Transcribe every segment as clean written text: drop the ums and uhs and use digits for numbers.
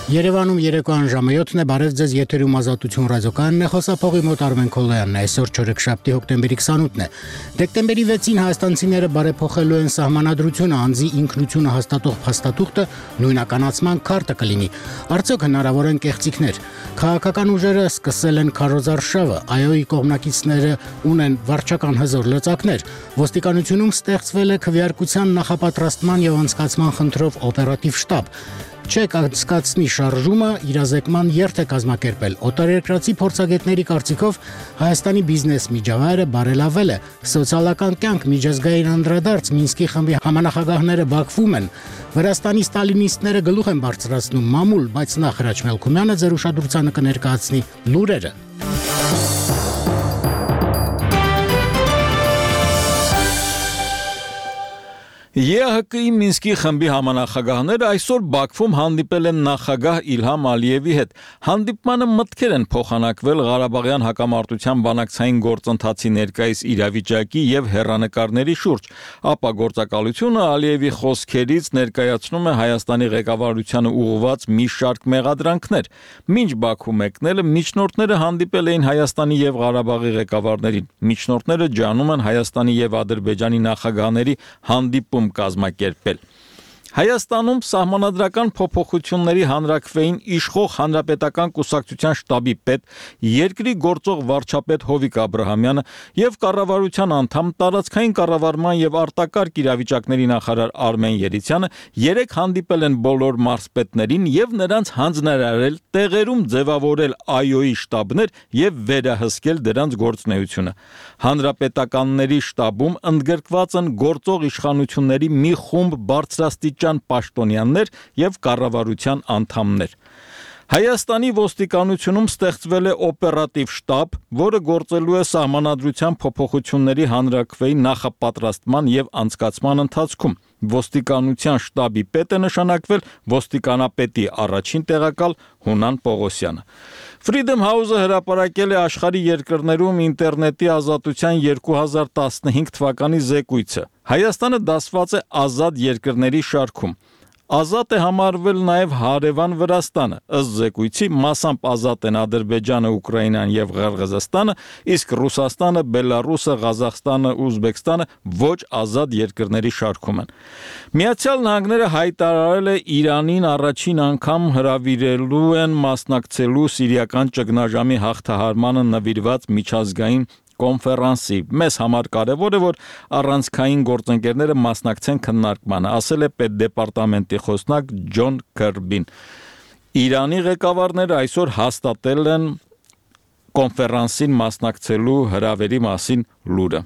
Երևանում երեկոյան ժամը 7-ն է, բարև ձեզ, եթերում Ազատություն ռադիոկայանն է, խոսափողի մոտ Արմեն Քոլոյանն է, այսօր չորեքշաբթի հոկտեմբերի 28-ն է։ Դեկտեմբերի 6-ին հայաստանցիները բարեփոխելու են սահմանադրությունը, անձի ինքնությունը հաստատող փաստաթուղթը նույնականացման քարտը կլինի։ Արդյոք հնարավոր են կեղծիքներ։ Քաղաքական ուժերը սկսել են քարոզարշավը, ԱՅՈ-ի կողմնակիցները ունեն վարչական հզոր լծակներ։ Ոստիկանությունում ստեղծվել է քվեարկության նախապատրաստման եւ անցկացման խնդրով օպերատիվ շտաբ։ Չեք անցկացնի շարժումը իրազեկման երթ է կազմակերպել։ Օտարերկրացի փորձագետների կարծիքով Հայաստանի բիզնես միջավայրը բարելավել է։ Սոցիալական կյանք, միջազգային անդրադարձ, Մինսկի խմբի համանախագահները Բաքվում են։ Վրաստանի ստալինիստները գլուխ են բարձրացնում մամուլ, բայց նախ Հրաչ Մելքումյանը ձեր ուշադրությանը կներկայացնի լուրերը։ ԵՀԿ-ի Մինսկի խմբի համանախագահները այսօր Բաքվում հանդիպել են նախագահ Իլհամ Ալիևի հետ։ Հանդիպմանը մտքեր են փոխանակվել Ղարաբաղյան հակամարտության բանակցային գործընթացի ներկայիս իրավիճակի եւ հեռանկարների շուրջ։ Ապա գործակալությունը Ալիևի խոսքերից ներկայացնում է Հայաստանի ղեկավարությանը ուղղված մի շարք մեղադրանքներ։ Մինչ Բաքու մեկնելը միջնորդները հանդիպել էին Հայաստանի եւ Ղարաբաղի ղեկավարներին։ Միջնորդները ջանում են Հայաստանի եւ Ադրբեջանի նախագահների հանդիպում կազմակերպել։ Հայաստանում սահմանադրական փոփոխությունների հանրաքվեին իշխող հանրապետական կուսակցության շտաբի պետ, երկրի գործող վարչապետ Հովիկ Աբրահամյանը եւ կառավարության անդամ տարածքային կառավարման եւ արտակարգ իրավիճակների նախարար Արմեն Երիցյանը երեք հանդիպել են բոլոր մարզպետներին եւ նրանց հանձնարարել տեղերում ձևավորել ԱՅՈ-ի շտաբներ եւ վերահսկել դրանց գործունեությունը։ Հանրապետականների շտաբում ընդգրկված են գործող իշխանությունների մի խումբ բարձրաստիճան պաշտոնյաներ եւ կառավարության անդամներ։ Հայաստանի ոստիկանությունում ստեղծվել է օպերատիվ շտաբ, որը գործելու է սահմանադրության փոփոխությունների հանրաքվեի նախապատրաստման եւ անցկացման ընթացքում։ Ոստիկանության շտաբի պետ է նշանակվել ոստիկանապետի առաջին տեղակալ Հունան Պողոսյանը։ Freedom House-ը հրապարակել է աշխարհի երկրներում ինտերնետի ազատության 2015 թվականի զեկույցը։ Հայաստանը դասված է ազատ երկրների շարքում։ Ազատ է համարվել նաև հարևան Վրաստանը, ըստ զեկույցի մասամբ ազատ են Ադրբեջանը, Ուկրաինան եւ Ղարղազստանը, իսկ Ռուսաստանը, Բելարուսը, Ղազախստանը, Ուզբեկստանը ոչ ազատ երկրների շարքում են։ Միացյալ Նահանգները հայտարարել է Իրանին առաջին անգամ հրավիրելու են մասնակցելու սիրիական ճգնաժամի հաղթահարմանը նվիրված միջազգային կոնֆերանսի։ Մեզ համար կարևոր է, որ առանցքային գործընկերները մասնակցեն քննարկմանը, ասել է պետդեպարտամենտի խոսնակ Ջոն Քերբին։ Իրանի ղեկավարները այսօր հաստատել են կոնֆերանսին մասնակցելու հրավերի մասին լուրը։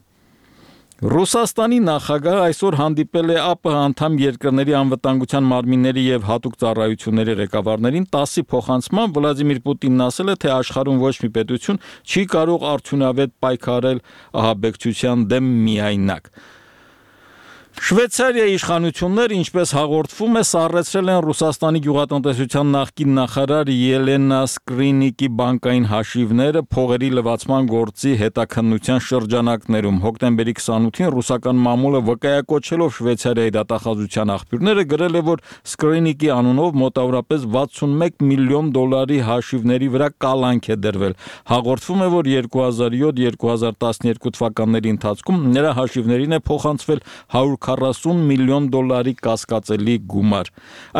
Ռուսաստանի նախագահը այսօր հանդիպել է ԱՊՀ անդամ երկրների անվտանգության մարմինների եւ հատուկ ծառայությունների ղեկավարներին 10-ի փոխանցման Վլադիմիր Պուտինն ասել է, թե աշխարհում ոչ մի պետություն չի կարող արդյունավետ պայքարել ահաբեկչության դեմ միայնակ։ Շվեյցարիայի իշխանությունները, ինչպես հաղորդվում է, սառեցրել են Ռուսաստանի գյուղատնտեսության նախկին նախարար Ելենա Սկրինիկի բանկային հաշիվները փողերի լվացման գործի հետաքննության շրջանակներում։ Հոկտեմբերի 28-ին ռուսական մամուլը վկայակոչելով Շվեյցարիայի դատախազության աղբյուրները գրել է, որ Սկրինիկի անունով մոտավորապես 61 միլիոն դոլարի հաշիվների վրա կալանք է դրվել։ Հաղորդվում է, որ 2007-2012 թվականների ընթացքում նրա հաշիվներին է փոխանցվել 140 միլիոն դոլարի կասկածելի գումար։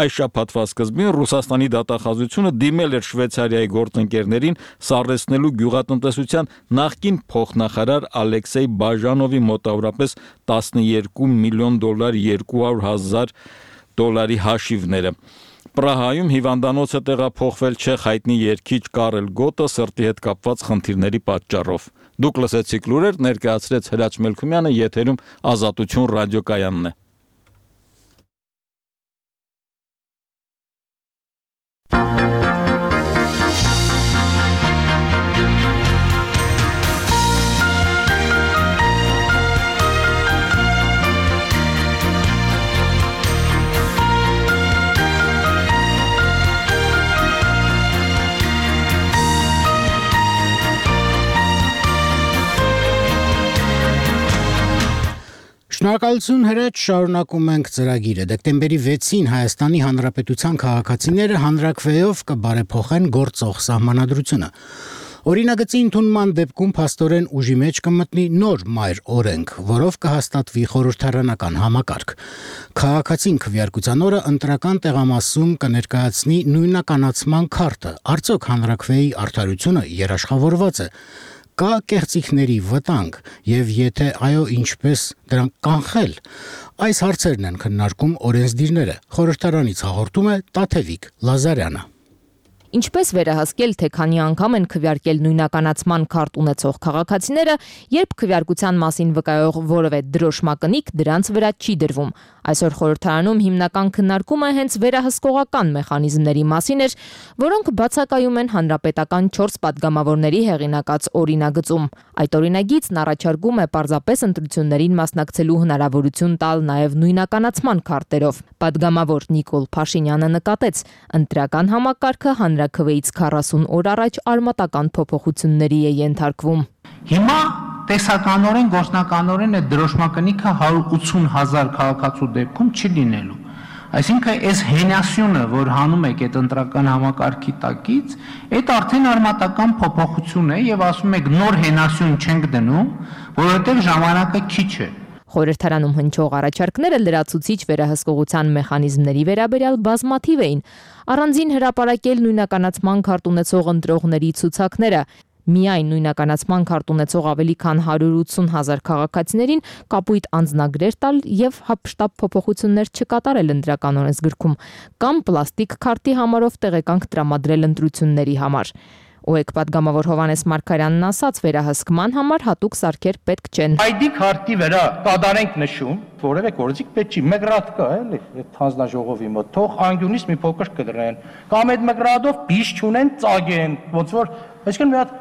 Այս շաբաթվա սկզբին Ռուսաստանի դատախազությունը դիմել էր Շվեյցարիայի գործընկերներին սառեցնելու գյուղատնտեսության նախկին փոխնախարար Ալեքսեյ Բաժանովի մոտավորապես 12 միլիոն դոլար 200,000 դոլարի հաշիվները։ Պրահայում հիվանդանոց է տեղափոխվել չեխ հայտնի երգիչ Կարել Գոտը սրտի հետ կապված խնդիրների պատճառով։ Դուք լսեցիք լուրեր, ներկայացրեց Հրաչ Մելքումյանը, եթերում Ազատություն ռադիոկայանն է։ Շնորհակալություն հրաչ, շարունակում ենք ծրագիրը։ Դեկտեմբերի 6-ին Հայաստանի Հանրապետության քաղաքացիները հանրաքվեով կբարեփոխեն գործող սահմանադրությունը։ Օրինագծի ընդունման դեպքում փաստորեն ուժի մեջ կմտնի նոր մայր օրենք, որով կհաստատվի խորհրդարանական համակարգ։ Քաղաքացին քվեարկության օրը ընտրական տեղամասում կներկայացնի նույնականացման քարտը։ Արդյոք հանրաքվեի արդարությունը երաշխավորված է։ Կա կեղծիքների վտանգ եւ եթե այո, ինչպես դրանք կանխել։ Այս հարցերն են քննարկում օրենսդիրները։ Խորհրդարանից հաղորդում է Տաթևիկ Լազարյանը։ Ինչպես վերահսկել, թե քանի անգամ են քվեարկել նույնականացման քարտ ունեցող քաղաքացիները, երբ քվեարկության մասին վկայող որևէ դրոշմակնիկ դրանց վրա չի դրվում։ Այսօր խորհրդարանում հիմնական քննարկումը հենց վերահսկողական մեխանիզմների մասին էր, որոնք բացակայում են հանրապետական 4 падգամավորների հեղինակած օրինագծում։ Այդ օրինագիծն առաջարկում է պարզապես ընտրություններին մասնակցելու հնարավորություն տալ նաև նույնականացման քարտերով։ Падգամավոր Նիկոլ Փաշինյանը նկատեց, ընտրական համակարգը հանրաքվեից 40 օր առաջ արմատական փոփոխությունների է ենթարկվում։ Հիմա տեսականորեն, գործնականորեն այդ դրոշմակնիկը 180,000 քաղաքացու դեպքում չի լինելու։ Այսինքն այս հենասյունը, որ հանում եք այդ ընտրական համակարգի տակից, այդ արդեն արմատական փոփոխություն է եւ ասում եք նոր հենասյուն չենք դնում, որովհետեւ ժամանակը քիչ է։ Խորհրդարանում հնչող առաջարկները լրացուցիչ վերահսկողության մեխանիզմների վերաբերյալ բազմաթիվ էին։ Առանձին հրապարակել նույնականացման քարտ ունեցող ընտրողների ցուցակները։ Միայն նույնականացման քարտ ունեցող ավելի քան 180,000 քաղաքացիներին կապույտ անձնագրեր տալ եւ հապշտապ փոփոխություններ չկատարել ընտրական օրենսգրքում կամ պլաստիկ քարտի համարով տեղեկանք տրամադրել ընտրությունների համար։ ՕԵԿ падգամավոր Հովհաննես Մարգարյանն ասաց, վերահսկման համար հատուկ սարքեր պետք չեն։ ID քարտի վրա կատարենք նշում, որևէ գործիք պետք չի, մեկ ռադ կա, էլի, այդ հանձնաժողովի մոտ, թող անգյունից մի փոքր կդրեն, կամ այդ մեկ ռադով բիշ չունեն, ծագեն, ոնց որ, այսինքն մի հատ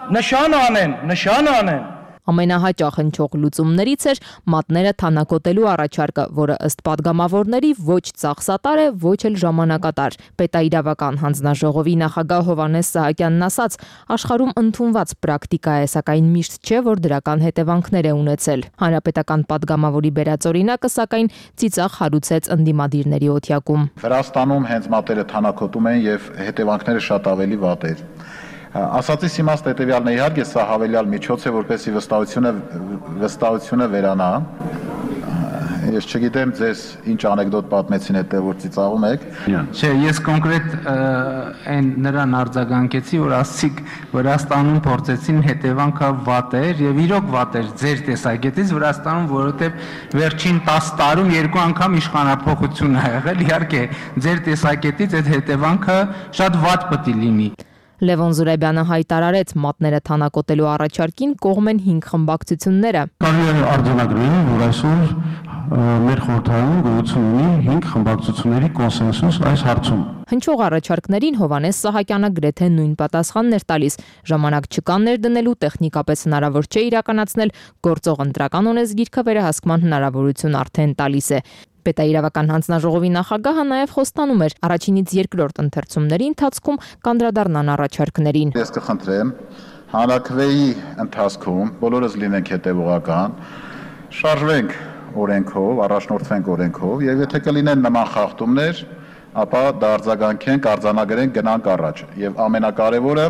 նշան անեն։ Ամենահաճախ հնչող լուծումներից էր մատները թանաքոտելու առաջարկը, որը ըստ падգամավորների ոչ ծախսատար է, ոչ էլ ժամանակատար։ Պետաիրավական հանձնաժողովի նախագահ Հովհաննես Սահակյանն ասաց, աշխարհում ընդունված պրակտիկա է, սակայն միշտ չէ, որ դրական հետևանքներ է ունեցել։ Հանրապետական падգամավորի բերած օրինակը, սակայն ծիծաղ հարուցեց ընդդիմադիրների օթյակում։ Վրաստանում հենց մատերը թանաքոտում են եւ հետևանքները շատ ավելի վատ էր։ Ասածից իմաստը հետևյալն է, իհարկե սա հավելյալ միջոց է, որպեսզի վստահությունը վերանա։ Ես չգիտեմ ձեզ ինչ անեկդոտ պատմեցին հետո որ ծիծաղում եք։ Չէ, ես կոնկրետ այն նրան արձագանքեցի, որ ասցիք Վրաստանում փորձեցին հետևանքը վատ էր եւ իրոք վատ էր ձեր տեսակետից Վրաստանում, որովհետեւ վերջին 10 տարում 2 անգամ իշխանափոխություն ա եղել, իհարկե ձեր տեսակետից այդ հետևանքը շատ վատ պետք է լինի։ Լևոն Զուրաբյանը հայտարարեց, մատները թանաքոտելու առաջարկին կողմ են 5 խմբակցությունները։ Կարելի է արձանագրել, որ այսօր մեր խորհրդարանում գոյություն ունի 5 խմբակցությունների կոնսենսուս այս հարցում։ Հնչող առաջարկներին Հովհաննես Սահակյանը գրեթե նույն պատասխանն էր տալիս։ Ժամանակ չկա ներդնելու, տեխնիկապես հնարավոր չէ իրականացնել, գործող ընտրական օրենսգիրքը վերահսկման հնարավորություն արդեն տալիս է։ Պետաիրավական հանձնաժողովի նախագահը նաև խոստանում էր առաջինից երկրորդ ընթերցումների ընթացքում կանդրադառնան առաջարկներին։ Ես կխնդրեմ հանրաքվեի ընթացքում բոլորս լինենք հետևողական, շարժվենք օրենքով, առաջնորդվենք օրենքով եւ եթե կլինեն նման խախտումներ, ապա դարձագանքենք, արձանագրենք, գնանք առաջ։ Եվ ամենակարևորը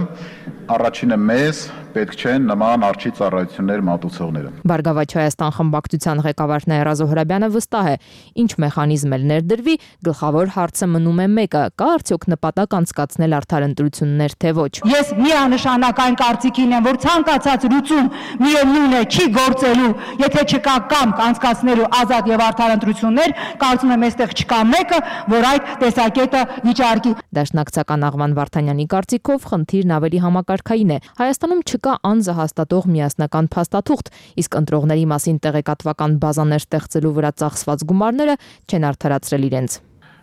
առաջինը մեզ պետք չեն նման արջի ծառայություններ մատուցողները։ Բարգավաճ Հայաստան խմբակցության ղեկավար Նաիրա Զոհրաբյանը վստահ է, ինչ մեխանիզմ էլ ներդրվի, գլխավոր հարցը մնում է մեկը՝ կա արդյոք նպատակ անցկացնել արդար ընտրություններ, թե ոչ։ Ես միանշանակ այն կարծիքին եմ, որ ցանկացած լուծում միևնույն է չի գործելու, եթե չկա կամք անցկացնելու ազատ եւ արդար ընտրություններ, կարծում եմ այստեղ չկա մեկը, որ այդ տեսակետը վիճարկի։ Դաշնակցական Աղվան Վարդանյանի կարծիքով խնդիրն ավելի համակարգային է։ Հայաստանում չկա անձը հաստատող միասնական փաստաթուղթ, իսկ ընտրողների մասին տեղեկատվական բազաներ ստեղծելու վրա ծախսված գումարները չեն արդարացրել իրենց։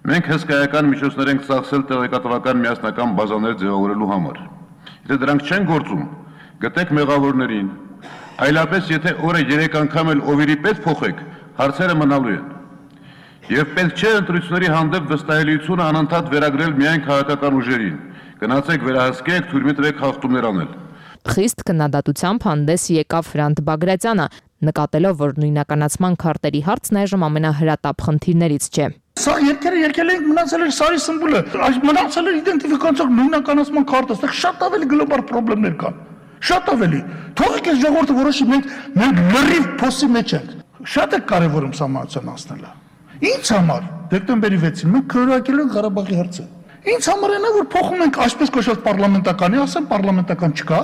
Մենք հսկայական միջոցներ ենք ծախսել տեղեկատվական միասնական բազաներ ձևավորելու համար։ Եթե դրանք չեն գործում, գտեք մեղավորներին, այլապես եթե օրը 3 անգամ էլ օվիրի պես փոխեք, հարցերը մնալու են։ Եվ պետք չէ ընտրությունների հանդեպ վստահելիությունը անընդհատ վերագրել միայն քաղաքական ուժերին։ Գնացեք վերահսկեք, թույլ մի տվեք խախտումներ անել։ Խիստ քննադատությամբ հանդես եկավ Ֆրանտ Բագրատյանը։ նկատելով, որ նույնականացման քարտերի հարցն այժմ ամենահրատապ խնդիրներից չէ։ Սա երկերը եկել ենք մնացել էր սարի սմբուլը, մնացել էր իդենտիֆիկացիոն նույնականացման քարտը, այստեղ շատ ավելի գլոբալ խնդիրներ կան։ Շատ ավելի։ Թողեք այս ժողովուրդը որոշի, մենք լրիվ փոսի մեջ ենք։ Շատ է կարևորում սահմանության անցնելը։ Ինչ համար դեկտեմբերի 6-ին մենք քննարկել ենք Ղարաբաղի հարցը։ Ինչ համար է նա որ փոխում ենք այսպես կոչված պարլամենտականի, ասեմ պարլամենտական չկա,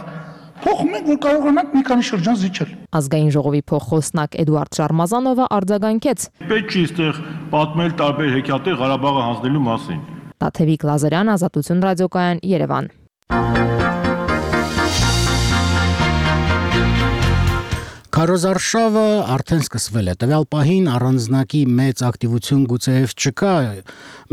փոխում ենք որ կարողանանք մի քանի շրջան զիջել։ Ազգային ժողովի փոխխոսնակ Էդուարդ Շարմազանովը արձագանքեց. Պետք չի այստեղ պատմել տարբեր հեքիաթներ Ղարաբաղը հանձնելու մասին։ Տաթևիկ Լազարյան, Ազատություն ռադիոկայան, Երևան։ Քարոզարշավը արդեն սկսվել է։ Տվյալ պահին առանձնակի մեծ ակտիվություն գուցեև չկա,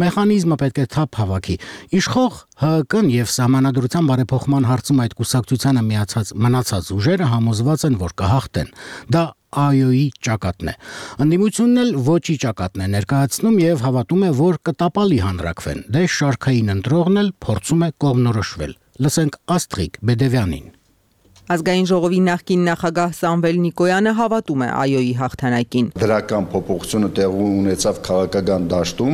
մեխանիզմը պետք է թափ հավաքի։ Իշխող ՀԿ-ն եւ Սահմանադրության բարեփոխման հարցում այդ կուսակցությանը միացած մնացած ուժերը համոզված են, որ կհաղթեն։ Դա ԱՅՈ-ի ճակատն է։ Ընդդիմությունն էլ ոչի ճակատն է ներկայացնում եւ հավատում է, որ կտապալի հանրակվեն։ Դե շարքային ընտրողն էլ փորձում է կողմնորոշվել։ Լսենք Աստրիկ Բեդևյանին։ Ազգային ժողովի նախկին նախագահ Սամվել Նիկոյանը հավատում է ԱՅՈ-ի հաղթանակին։ Դրական փոփոխությունը տեղի ունեցավ քաղաքական դաշտում,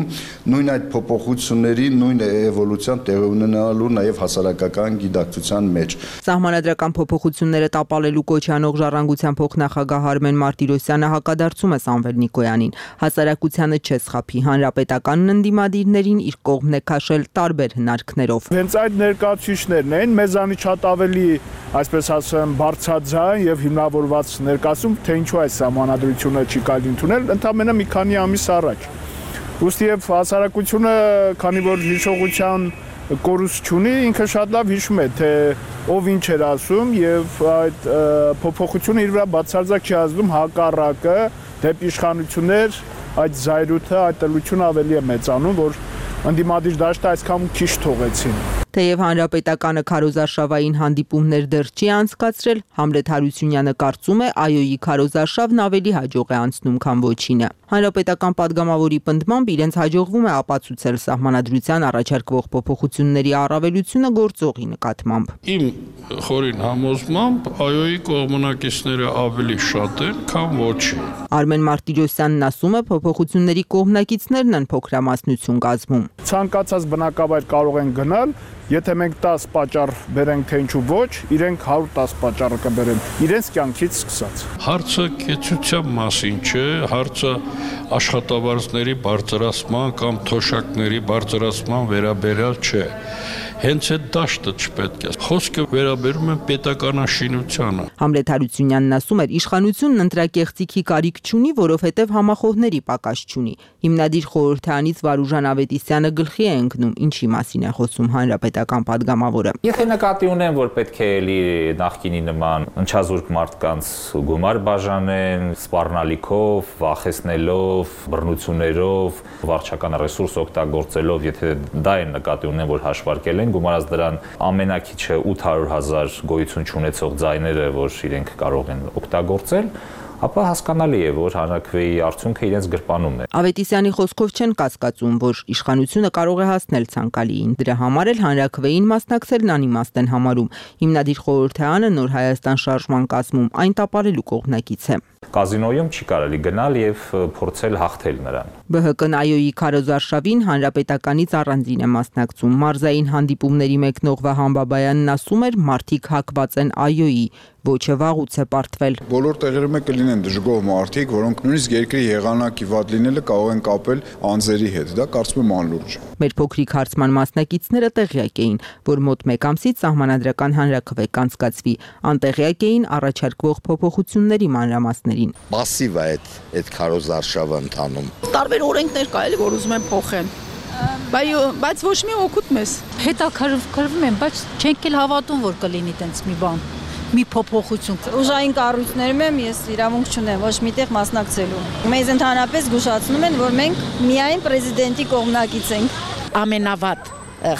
նույն այդ փոփոխությունների նույն էվոլյուցիան տեղի ունենալու նաև հասարակական գիտակցության մեջ։ Սահմանադրական փոփոխությունները տապալելու կոչ անող ժառանգության փոխնախագահ Արմեն Մարտիրոսյանը հակադարձում է Սամվել Նիկոյանին։ Հասարակությանը չեսխափի, հանրապետականն ընդդիմադիրներին իր կողմն է քաշել տարբեր հնարքներով։ Հենց այդ ներկայացուցիչներն են մեզանից շատ ավելի, այսպես բարձրաձայն եւ հիմնավորված ներկայացում, թե ինչու այս սահմանադրությունը չի կարելի ընդունել, ընդամենը մի քանի ամիս առաջ։ Ուստի եւ հասարակությունը, քանի որ հիշողության կորուստ չունի, ինքը շատ լավ հիշում է, թե ով ինչ էր ասում եւ այդ փոփոխությունը իր վրա բացարձակ չի ազդում հակառակը դեպի իշխանություններ, այդ զայրույթը, այդ տլությունը ավելի է մեծանում, որ ընդդիմադիր դաշտը այսքան քիչ թողեցին։ Թեև հանրապետականը քարոզարշավային հանդիպումներ դեռ չի անցկացրել, Համլետ Հարությունյանը կարծում է ԱՅՈ-ի քարոզարշավն ավելի հաջող է անցնում, քան ոչինը։ Հանրապետական падգամավորի պնդմամբ իրենց հաջողվում է ապացուցել սահմանադրության առաջարկվող փոփոխությունների առավելությունը գործողի նկատմամբ։ Իմ խորին համոզմամբ ԱՅՈ-ի կողմնակիցները ավելի շատ են, քան ոչի։ Արմեն Մարտիրոսյանն ասում է, փոփոխությունների կողմնակիցներն են փոքրամասնություն կազմում։ Ցանկացած բնակավայր կարող են գնալ, եթե մենք 10 պատճառ բերենք, թե ինչու ոչ, իրենք 110 պատճառը կբերեն, իրենց կյանքից սկսած։ Հարցը կեցության մասին չէ, հարցը աշխատավարձների բարձրացման կամ թոշակների բարձրացման վերաբերյալ չէ։ Հենց այդ դաշտը չպետք է։ Խոսքը վերաբերում է պետականաշինությանը։ Համլետ Հարությունյանն ասում էր, իշխանությունն ընտրակեղծիքի կարիք չունի, որովհետև համախոհների պակաս չունի։ Հիմնադիր խորհրդարանից Վարուժան Ավետիսյանը գլխի է ընկնում, ինչի մասին է խոսում հանրապետական падգամավորը։ Եթե նկատի ունեն, որ պետք է էլի նախկինի նման ընչազուրկ մարդկանց գումար բաժանեն, սպառնալիքով, վախեցնելով, բռնություններով, վարչական ռեսուրս օգտագործելով, եթե դա են նկատի ունեն, որ հաշվարկել են, գումարած դրան ամենակիչը 800,000 գոյություն չունեցող ձայները, որ իրենք կարող են օգտագործել, ապա հասկանալի է, որ հանրակրվեի արդյունքը իրենց գրպանում է։ Ավետիսյանի խոսքով չեն կասկածում, որ իշխանությունը կարող է հասնել ցանկալիին։ Դրա համար էլ հանրակրվեին մասնակցելն անիմաստ են համարում։ Հիմնադիր խորհրդարանը Նոր Հայաստան շարժման կազմում այն տապալելու կողմնակից է։ Կազինոյում չի կարելի գնալ եւ փորձել հաղթել նրան։ ԲՀԿ-ն ԱՅՈ-ի քարոզարշավին հանրապետականից առանձին է մասնակցում։ Մարզային հանդիպումների մեկնող Վահան Բաբայանն ասում էր, մարդիկ հակված են ԱՅՈ-ի, ոչը վաղուց է պարտվել։ Բոլոր տեղերում կլինեն դժգոհ մարդիկ, որոնք նույնիսկ երկրի եղանակի վատ լինելը կարող են կապել անձերի հետ։ Դա կարծում եմ անլուրջ է։ Մեր փոքրիկ հարցման մասնակիցները տեղյակ էին, որ մոտ 1 ամսից սահմանադրական հանրակրվե կանցկացվի, անտեղյակ էին առաջարկվող փոփոխությունների մանրամասներին։ Պասիվ է այդ քարոզարշավը ընթանում։ Տարբեր օրենքներ կա էլի, որ ուզում են փոխեն։ Բայց ոչ մի օգուտ մեզ։ Հետաքրքրվում են, բայց չենք էլ հավատում, որ կլինի տենց մի բան, մի փոփոխություն։ Ուժային կառույցներում եմ, ես իրավունք չունեմ ոչ միտեղ մասնակցելու։ Մեզ ընդհանրապես զգուշացնում են, որ մենք միայն պրեզիդենտի կողմնակից ենք։ Ամենավատ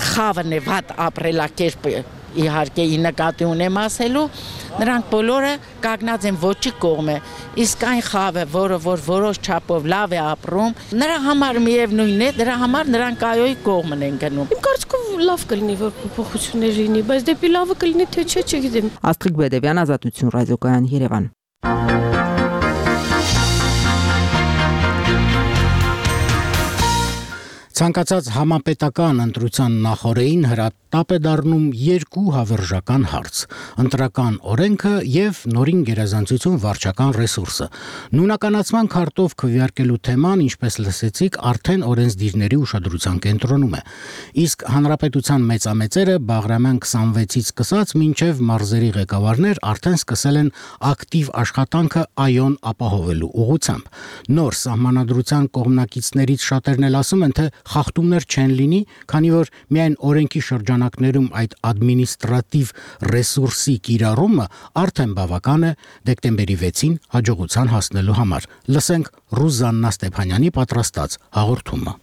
խավն է վատ ապրելակերպը, իհարկե նկատի ունեմ ասելու, նրանք բոլորը կանգնած են ոչի կողմը, իսկ այն խավը, որը որ որոշ չափով լավ է ապրում, նրա համար միևնույն է, դրա համար նրանք ԱՅՈ-ի կողմն են գնում։ Իմ կարծիքով լավ կլինի, որ փոփոխություններ լինի, բայց դեպի լավը կլինի, թե չէ, չգիտեմ։ Աստրիկ Բեդևյան, Ազատություն ռադիոկայան, Երևան։ Ցանկացած համապետական ընտրության նախօրեին հրատապ է դառնում երկու հավերժական հարց՝ ընտրական օրենքը եւ նորին գերազանցություն վարչական ռեսուրսը։ Նույնականացման քարտով քվեարկելու թեման, ինչպես լսեցիք, արդեն օրենսդիրների ուշադրության կենտրոնում է։ Իսկ հանրապետության մեծամեծերը Բաղրամյան 26-ից սկսած մինչև մարզերի ղեկավարներ արդեն սկսել են ակտիվ աշխատանքը այոն ապահովելու ուղղությամբ։ Նոր սահմանադրության կողմնակիցներից շատերն էլ ասում են, թե խախտումներ չեն լինի, քանի որ միայն օրենքի շրջանակներում այդ ադմինիստրատիվ ռեսուրսի կիրառումը արդեն բավական է դեկտեմբերի 6-ին հաջողության հասնելու համար։ Լսենք Ռուզաննա Ստեփանյանի պատրաստած հաղորդումը։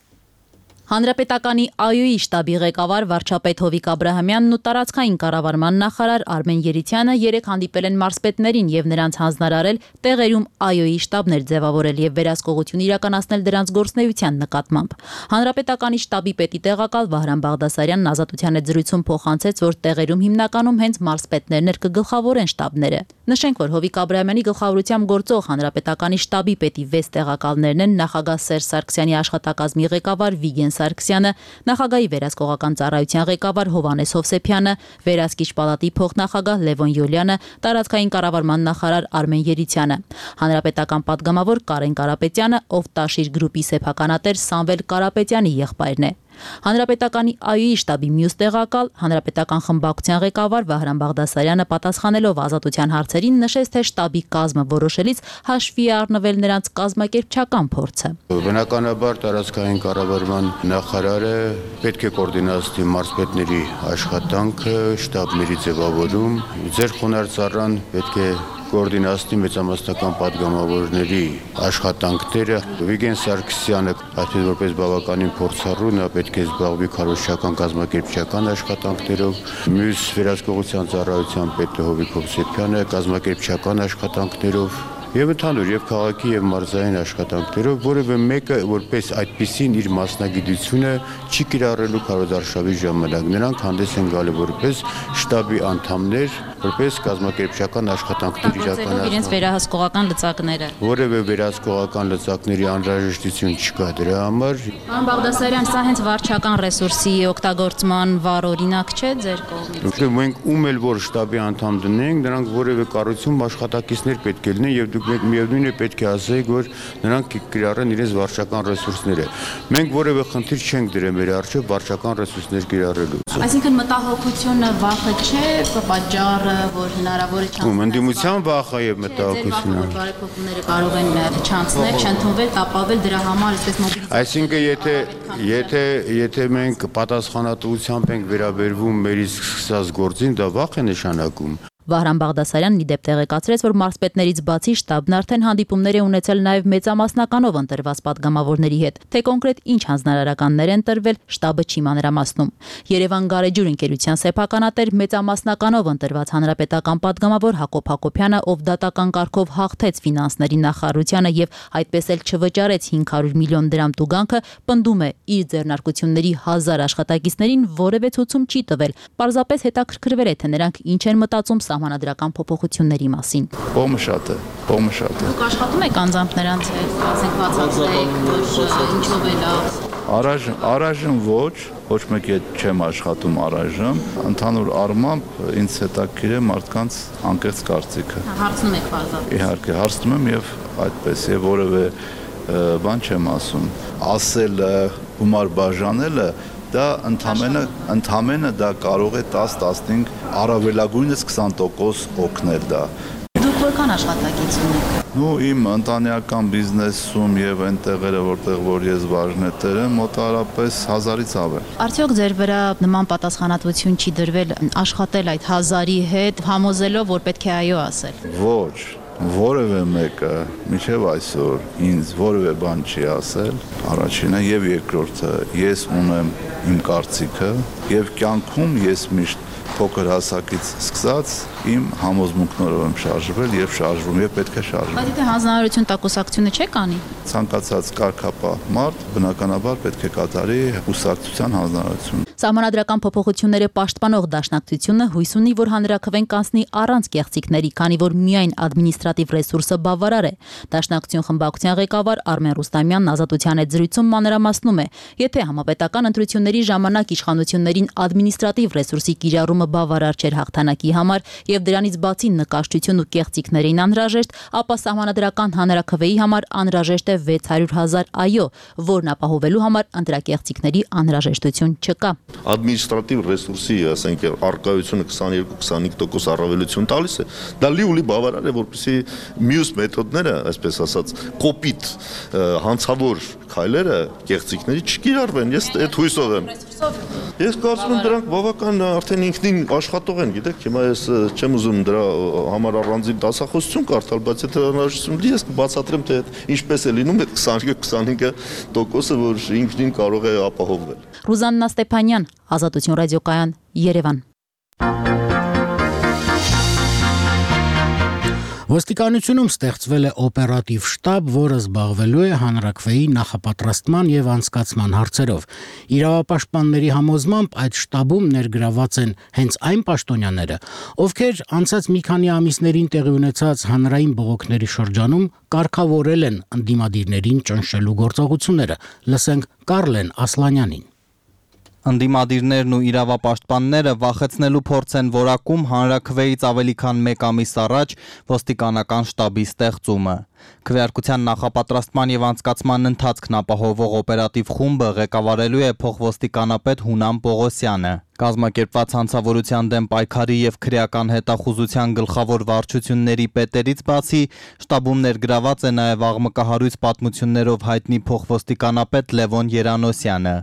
Հանրապետականի ԱՅՈ-ի շտաբի ղեկավար վարչապետ Հովիկ Աբրահամյանն ու տարածքային կառավարման նախարար Արմեն Երիցյանը երեկ հանդիպել են մարզպետներին եւ նրանց հանձնարարել տեղերում ԱՅՈ-ի շտաբներ ձևավորել եւ վերահսկողություն իրականացնել դրանց գործունեության նկատմամբ։ Հանրապետականի շտաբի պետի տեղակալ Վահրամ Բաղդասարյանն Ազատության հետ զրույցում փոխանցեց, որ տեղերում հիմնականում հենց մարզպետներն կգլխավորեն շտաբները։ Նշենք, որ Հովիկ Աբրահամյանի գլխավորությամբ գործող Հանրապետականի շտաբի պետի 6 տեղակալներն են նախագահ Սերժ Սարգսյանի աշխատակազմի ղեկավար Վիգեն Սարգսյանը, նախագահի վերահսկողական ծառայության ղեկավար Հովհաննես Հովսեփյանը, վերահսկիչ պալատի փոխնախագահ Լևոն Յոլյանը, տարածքային կառավարման նախարար Արմեն Երիցյանը, հանրապետական պատգամավոր Կարեն Կարապետյանը, ով Տաշիր գրուպի սեփականատեր Սամվել Կարապետյանի եղբայրն է։ Հանրապետականի ԱՅՈ-ի շտաբի մյուս տեղակալ, հանրապետական խմբակցության ղեկավար Վահրամ Բաղդասարյանը պատասխանելով Ազատության հարցերին նշեց, թե շտաբի կազմը որոշելիս հաշվի է առնվել նրանց կազմակերպչական փորձը։ Բնականաբար տարածքային կառավարման նախարարը պետք է կոորդինացնի մարզպետների աշխատանքը, շտաբների ձևավորում, ձեր խոնարհ ծառան պետք է կոորդինացնի մեծամասնական պատգամավորների աշխատանքները։ Վիգեն Սարգսյանը, այսպես որպես բավականին փորձառու, նա պետք է զբաղվի քարոզչական կազմակերպչական աշխատանքներով, մյուս վերահսկողության ծառայության պետը Հովիկ Հովսեփյանը կազմակերպչական աշխատանքներով եւ ընդհանուր եւ քաղաքի եւ մարզային աշխատանքներով, որևէ մեկը որպես այդպիսին իր մասնագիտությունը չի կիրառելու քարոզարշավի ժամանակ։ Նրանք հանդես են գալու որպես շտաբի անդամներ, որպես կազմակերպչական աշխատանքներ իրականացնող իրենց վերահսկողական լծակները։ Որևէ վերահսկողական լծակների անհրաժեշտություն չկա դրա համար։ Պարոն Բաղդասարյան, սա հենց վարչական ռեսուրսի օգտագործման վառ օրինակ չէ ձեր կողմից։ Մենք ում էլ որ շտաբի անդամ դնենք, նրանք որևէ կառույցում աշխատակիցներ պետք է լինեն եւ միևնույն է պետք է ասենք, որ նրանք կիրառեն իրենց վարչական ռեսուրսները։ Մենք որևէ խնդիր չենք դրել մեր առջև վարչական ռեսուրսներ կիրառելու։ Այսինքն մտահոգությունը վախը չէ, պատճառը, որ հնարավոր է չանցնել։ Ընդդիմության վախը եւ մտահոգությունը։ Բարեփոխումները կարող են չանցնել, չընդունվել, տապավել դրա համար այսպես Այսինքն եթե մենք պատասխանատվությամբ ենք վերաբերվում մեր իսկ սկսած գործին, դա վախ է նշանակում։ Վահրամ Բաղդասարյանն իդեպ տեղեկացրեց, որ մարզպետներից բացի շտաբն արդեն հանդիպումներ է ունեցել նաև մեծամասնականով ընտրված պատգամավորների հետ, թե կոնկրետ ինչ հանձնարարականներ են տրվել, շտաբը չի մանրամասնում։ Երևան Գարեջուր ընկերության սեփականատեր մեծամասնականով ընտրված հանրապետական պատգամավոր Հակոբ Հակոբյանը, ով դատական կարգով հաղթեց ֆինանսների նախարարությանը եւ այդպես էլ չվճարեց 500 միլիոն դրամ տուգանքը, պնդում է իր ձեռնարկությունների 1000 աշխատակիցներին որևէ ցուցում չի տվել։ Պարզապես հետաքրքրվել է, թե նրանք ինչ են մտածում սահմանադրական փոփոխությունների մասին։ Կողմը շատ է։ Դուք աշխատում եք անձամբ նրանց հետ, ասենք բացատրեք, որ ինչով է լավ։ Առայժմ ոչ մեկի հետ չեմ աշխատում առայժմ, ընդհանուր առմամբ ինձ հետաքրքիր է մարդկանց անկեղծ կարծիքը։ Հարցնում եք բարձր։ Իհարկե, հարցնում եմ եւ այդպես եւ որևէ բան չեմ ասում։ Ասելը, գումար բաժանելը դա ընդամենը դա կարող է 10-15 առավելագույնս 20% օգնել դա։ Դուք որքան աշխատակից ունեք։ Իմ ընտանեկան բիզնեսում եւ այնտեղերը որտեղ որ ես բաժնետեր եմ, մոտարապես 1000-ից ավել։ Արդյոք ձեր վրա նման պատասխանատվություն չի դրվել աշխատել այդ 1000-ի հետ, համոզելով, որ պետք է այո ասել։ Ոչ, որևէ մեկը մինչև այսօր ինձ որևէ բան չի ասել, առաջինը եւ երկրորդը ես ունեմ իմ կարծիքը եւ կյանքում ես միշտ փոքր հասակից սկսած իմ համոզմունքներով եմ շարժվել եւ շարժվում եւ պետք է շարժվեմ։ Բայց եթե հանձնարարություն տակուսակցությունը չեք անի։ Ցանկացած կարգապահ մարդ բնականաբար պետք է կատարի կուսակցության հանձնարարություն։ Սահմանադրական փոփոխությունները պաշտպանող դաշնակցությունը հույս ունի, որ հանրաքվեն կանցնի առանց կեղծիքների, քանի որ միայն ադմինիստրատիվ ռեսուրսը բավարար է։ Դաշնակցություն խմբակցության ղեկավար Արմեն Ռուստամյանն Ազատության հետ զրույցում մանրամասնում է, եթե համապետական ընտրությունների ժամանակ իշխանություններին ադմինիստրատիվ ռեսուրսի կիրառումը բավարար չէր հաղթանակի համար եւ դրանից բացի նկաշտություն ու կեղծիքներին անհրաժեշտ, ապա սահմանադրական հանրաքվեի համար անհրաժեշտ է 600,000 այո, որն ապահովելու համար ընտրակեղծիքների անհրաժեշտություն չկա։ Ադմինիստրատիվ ռեսուրսի, ասենք, առկայությունը 22-25% առավելություն տալիս է, դա լիուլի բավարար է, որպեսզի մյուս մեթոդները, այսպես ասած, կոպիտ հանցավոր քայլերը կեղծիքների չկիրառվեն։ Ես այդ հույսով եմ։ Ես կարծում եմ դրանք բավական արդեն ինքնին աշխատող են, գիտեք, հիմա ես չեմ ուզում դրա համար առանձին դասախոսություն կարդալ, բայց եթե հնարավորություն լինի, ես կբացատրեմ, թե ինչպես է լինում այդ 22-25%-ը, որ ինքնին կարող է ապահովվել։ Ռուզաննա Ստեփանյան, Ազատություն ռադիոկայան, Երևան։ Ոստիկանությունում ստեղծվել է օպերատիվ շտաբ, որը զբաղվելու է հանրաքվեի նախապատրաստման եւ անցկացման հարցերով։ Իրավապաշտպանների համոզմամբ այդ շտաբում ներգրաված են հենց այն պաշտոնյաները, ովքեր անցած մի քանի ամիսներին տեղի ունեցած հանրային բողոքների շրջանում կարգավորել են ընդդիմադիրներին ճնշելու գործողությունները։ Լսենք Կարլեն Ասլանյանին։ Ընդդիմադիրներն ու իրավապաշտպանները վախեցնելու փորձ են որակում հանրաքվեից ավելի քան 1 ամիս առաջ ոստիկանական շտաբի ստեղծումը։ Քվեարկության նախապատրաստման եւ անցկացման ընթացքն ապահովող օպերատիվ խումբը ղեկավարելու է փոխոստիկանապետ Հունամ Պողոսյանը։ Կազմակերպված հանցավորության դեմ պայքարի եւ քրեական հետախուզության գլխավոր վարչությունների պետերից բացի շտաբում ներգրաված է նաեւ աղմկահարույց պատմություններով հայտնի փոխոստիկանապետ Լևոն Երանոսյանը։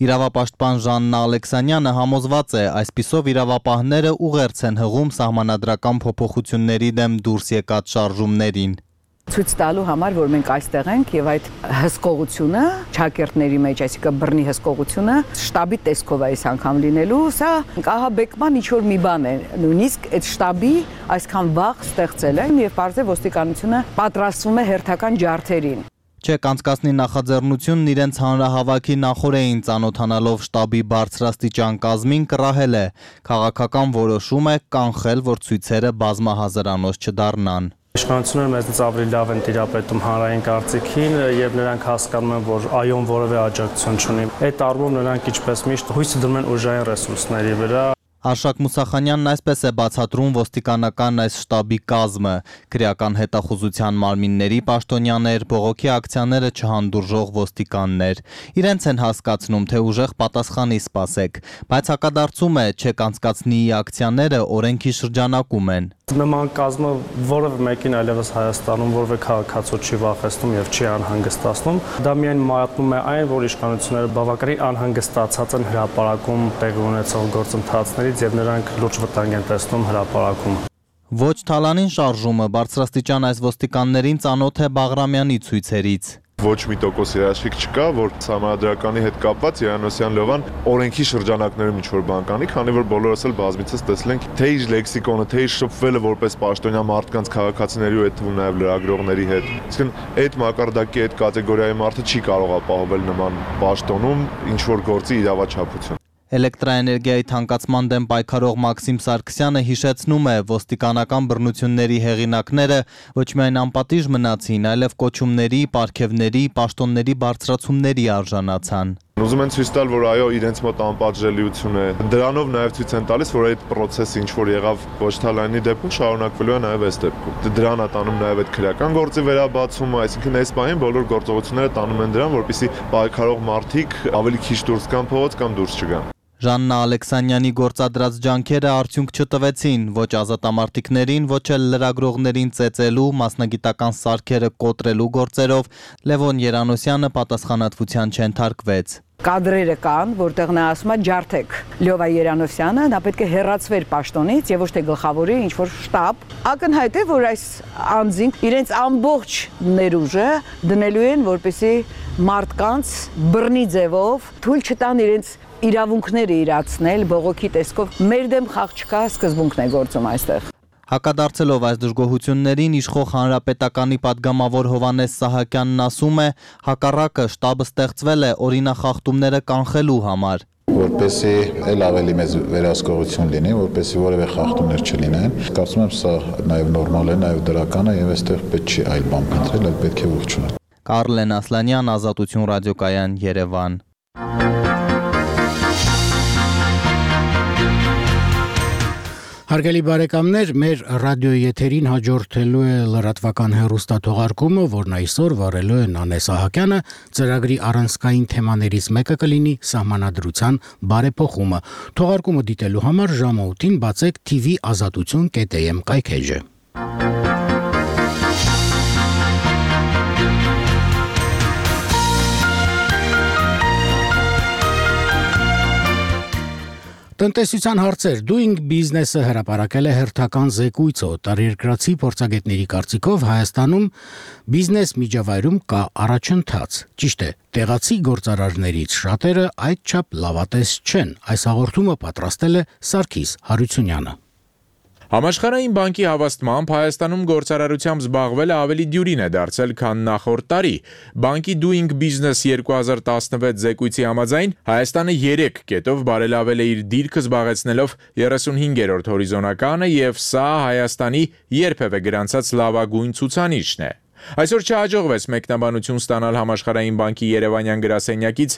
Իրավապաշտպան Ժաննա Ալեքսանյանը համոզված է, այսպիսով իրավապահները ուղերձ են հղում սահմանադրական փոփոխությունների դեմ դուրս եկած շարժումներին։ Ցույց տալու համար, որ մենք այստեղ ենք եւ այդ հսկողությունը ճակերտների մեջ, այսինքն բռնի հսկողությունը շտաբի տեսքով է այս անգամ լինելու, սա ահաբեկման ինչ որ մի բան է, նույնիսկ այդ շտաբի այսքան վաղ ստեղծել են եւ բարձր ոստիկանությունը պատրաստվում է հերթական ջարդերին։ Չեք անցկացնի նախաձեռնությունն իրենց հանրահավաքի նախօրեին ծանոթանալով շտաբի բարձրաստիճան կազմին կռահել է։ Քաղաքական որոշում է կանխել, որ ցույցերը բազմահազարանոց չդառնան։ Իշխանությունները մեզնից ավելի լավ են տիրապետում հանրային կարծիքին եւ նրանք հասկանում են, որ այոն որևէ աջակցություն չունի։ Այդ առումով նրանք ինչպես միշտ հույս դնում են ուժային ռեսուրսների վրա։ Արշակ Մուսախանյանն այսպես է բացատրում ոստիկանական այս շտաբի կազմը, քրեական հետախուզության մարմինների պաշտոնյաներ, բողոքի ակցիաները չհանդուրժող ոստիկաններ։ Իրենց են հասկացնում, թե ուժեղ պատասխանի սպասեք, բայց հակադարձում է, չեք անցկացնի ակցիաները օրենքի շրջանակում են։ Նման կազմը որևէ մեկին այլևս Հայաստանում որևէ քաղաքացու չի վախեցնում եւ չի անհանգստացնում։ Դա միայն մատնում է այն, որ իշխանությունները բավականին անհանգստացած են հրապարակում տեղի ունեցող գործընթացներից եւ նրանք լուրջ վտանգ են տեսնում հրապարակում։ Ոչ թալանին շարժումը բարձրաստիճան այս ոստիկաններին ծանոթ է Բաղրամյանի ցույցերից։ Ոչ մի տոկոս երաշխիք չկա, որ սահմանադրականի հետ կապված Երանոսյան Լևան օրենքի շրջանակներում ինչ-որ բան կանի, քանի որ բոլորս էլ բազմիցս տեսել ենք թե իր լեքսիկոնը, թե իր շփվելը որպես պաշտոնյա մարդկանց քաղաքացիների ու այդ թվում նաև լրագրողների հետ։ Իսկն այդ մակարդակի այդ կատեգորիայի մարդը չի կարող ապահովել նման պաշտոնում ինչ-որ գործի իրավաչափություն։ Էլեկտրաէներգիայի թանկացման դեմ պայքարող Մաքսիմ Սարգսյանը հիշեցնում է, ոստիկանական բռնությունների հեղինակները ոչ միայն անպատիժ մնացին, այլև կոչումների, պարգևների, պաշտոնների բարձրացումների արժանացան։ Ուզում են ցույց տալ, որ այո, իրենց մոտ անպատժելիություն է։ Դրանով նաև ցույց են տալիս, որ այդ process-ը ինչ որ եղավ ոչ թալանի դեպքում շարունակվելու է նաև այս դեպքում։ Դրան է տանում նաև այդ քրեական գործի վերաբացումը, այսինքն այս բանին բոլոր գործողությունները տանում են դրան, որպեսզի պայքարող մարդիկ ավելի քիչ դուրս գան փողոց կամ դուրս չգան։ Ժաննա Ալեքսանյանի գործադրած ջանքերը արդյունք չտվեցին ոչ ազատամարտիկներին, ոչ էլ լրագրողներին ծեծելու, մասնագիտական սարքերը կոտրելու գործերով Լևոն Երանոսյանը պատասխանատվության չենթարկվեց։ Կադրերը կան, որտեղ նա ասում է ջարդեք Լյովա Երանոսյանը, նա պետք է հեռացվեր պաշտոնից եւ ոչ թե գլխավորի ինչ որ շտաբ։ Ակնհայտ է, որ այս անձին իրենց ամբողջ ներուժը դնելու են, որպեսզի մարդկանց բռնի ձևով թույլ չտան իրենց իրավունքները իրացնել բողոքի տեսքով։ Մեր դեմ խաղ չկա, սկզբունքն է գործում այստեղ։ Հակադարձելով այս դժգոհություններին իշխող հանրապետականի падգամավոր Հովանես Սահակյանն ասում է, հակառակը շտաբը ստեղծվել է օրինախախտումները կանխելու համար։ որպեսզի ել ավելի մեծ վերահսկողություն լինի, որպեսզի որևէ խախտումներ չլինեն։ Կարծում եմ սա նաև նորմալ է, նաև դրական է եւ այստեղ պետք չի այլ բան փնտրել, այլ պետք է ողջունել։ Կարլեն Ասլանյան, Ազատություն ռադիոկայան, Երևան։ Հարգելի բարեկամներ, մեր ռադիոյի եթերին հաջորդելու է լրատվական հեռուստաթողարկումը, որն այսօր վարելու է Նանե Սահակյանը, ծրագրի առանցքային թեմաներից մեկը կլինի սահմանադրության բարեփոխումը։ Թողարկումը դիտելու համար ժամը 8-ին բացեք TV azatutun.am կայքեջը։ Տնտեսության հարցեր Doing Business-ը հրապարակել է հերթական զեկույցը օտարերկրացի փորձագետների կարծիքով Հայաստանում բիզնես միջավայրում կա առաջընթաց։ Ճիշտ է, տեղացի գործարարներից շատերը այդչափ լավատես չեն։ Այս հաղորդումը պատրաստել է Սարգիս Հարությունյանը։ Համաշխարհային բանկի հավաստմամբ Հայաստանում գործարարությամբ զբաղվելը ավելի դյուրին է դարձել, քան նախորդ տարի։ Բանկի Doing Business 2016 զեկույցի համաձայն Հայաստանը 3 կետով բարելավել է իր դիրքը զբաղեցնելով 35-րդ հորիզոնականը եւ սա Հայաստանի երբևէ գրանցած լավագույն ցուցանիշն է։ Այսօր չհաջողվեց մեկնաբանություն ստանալ Համաշխարհային բանկի Երևանյան գրասենյակից,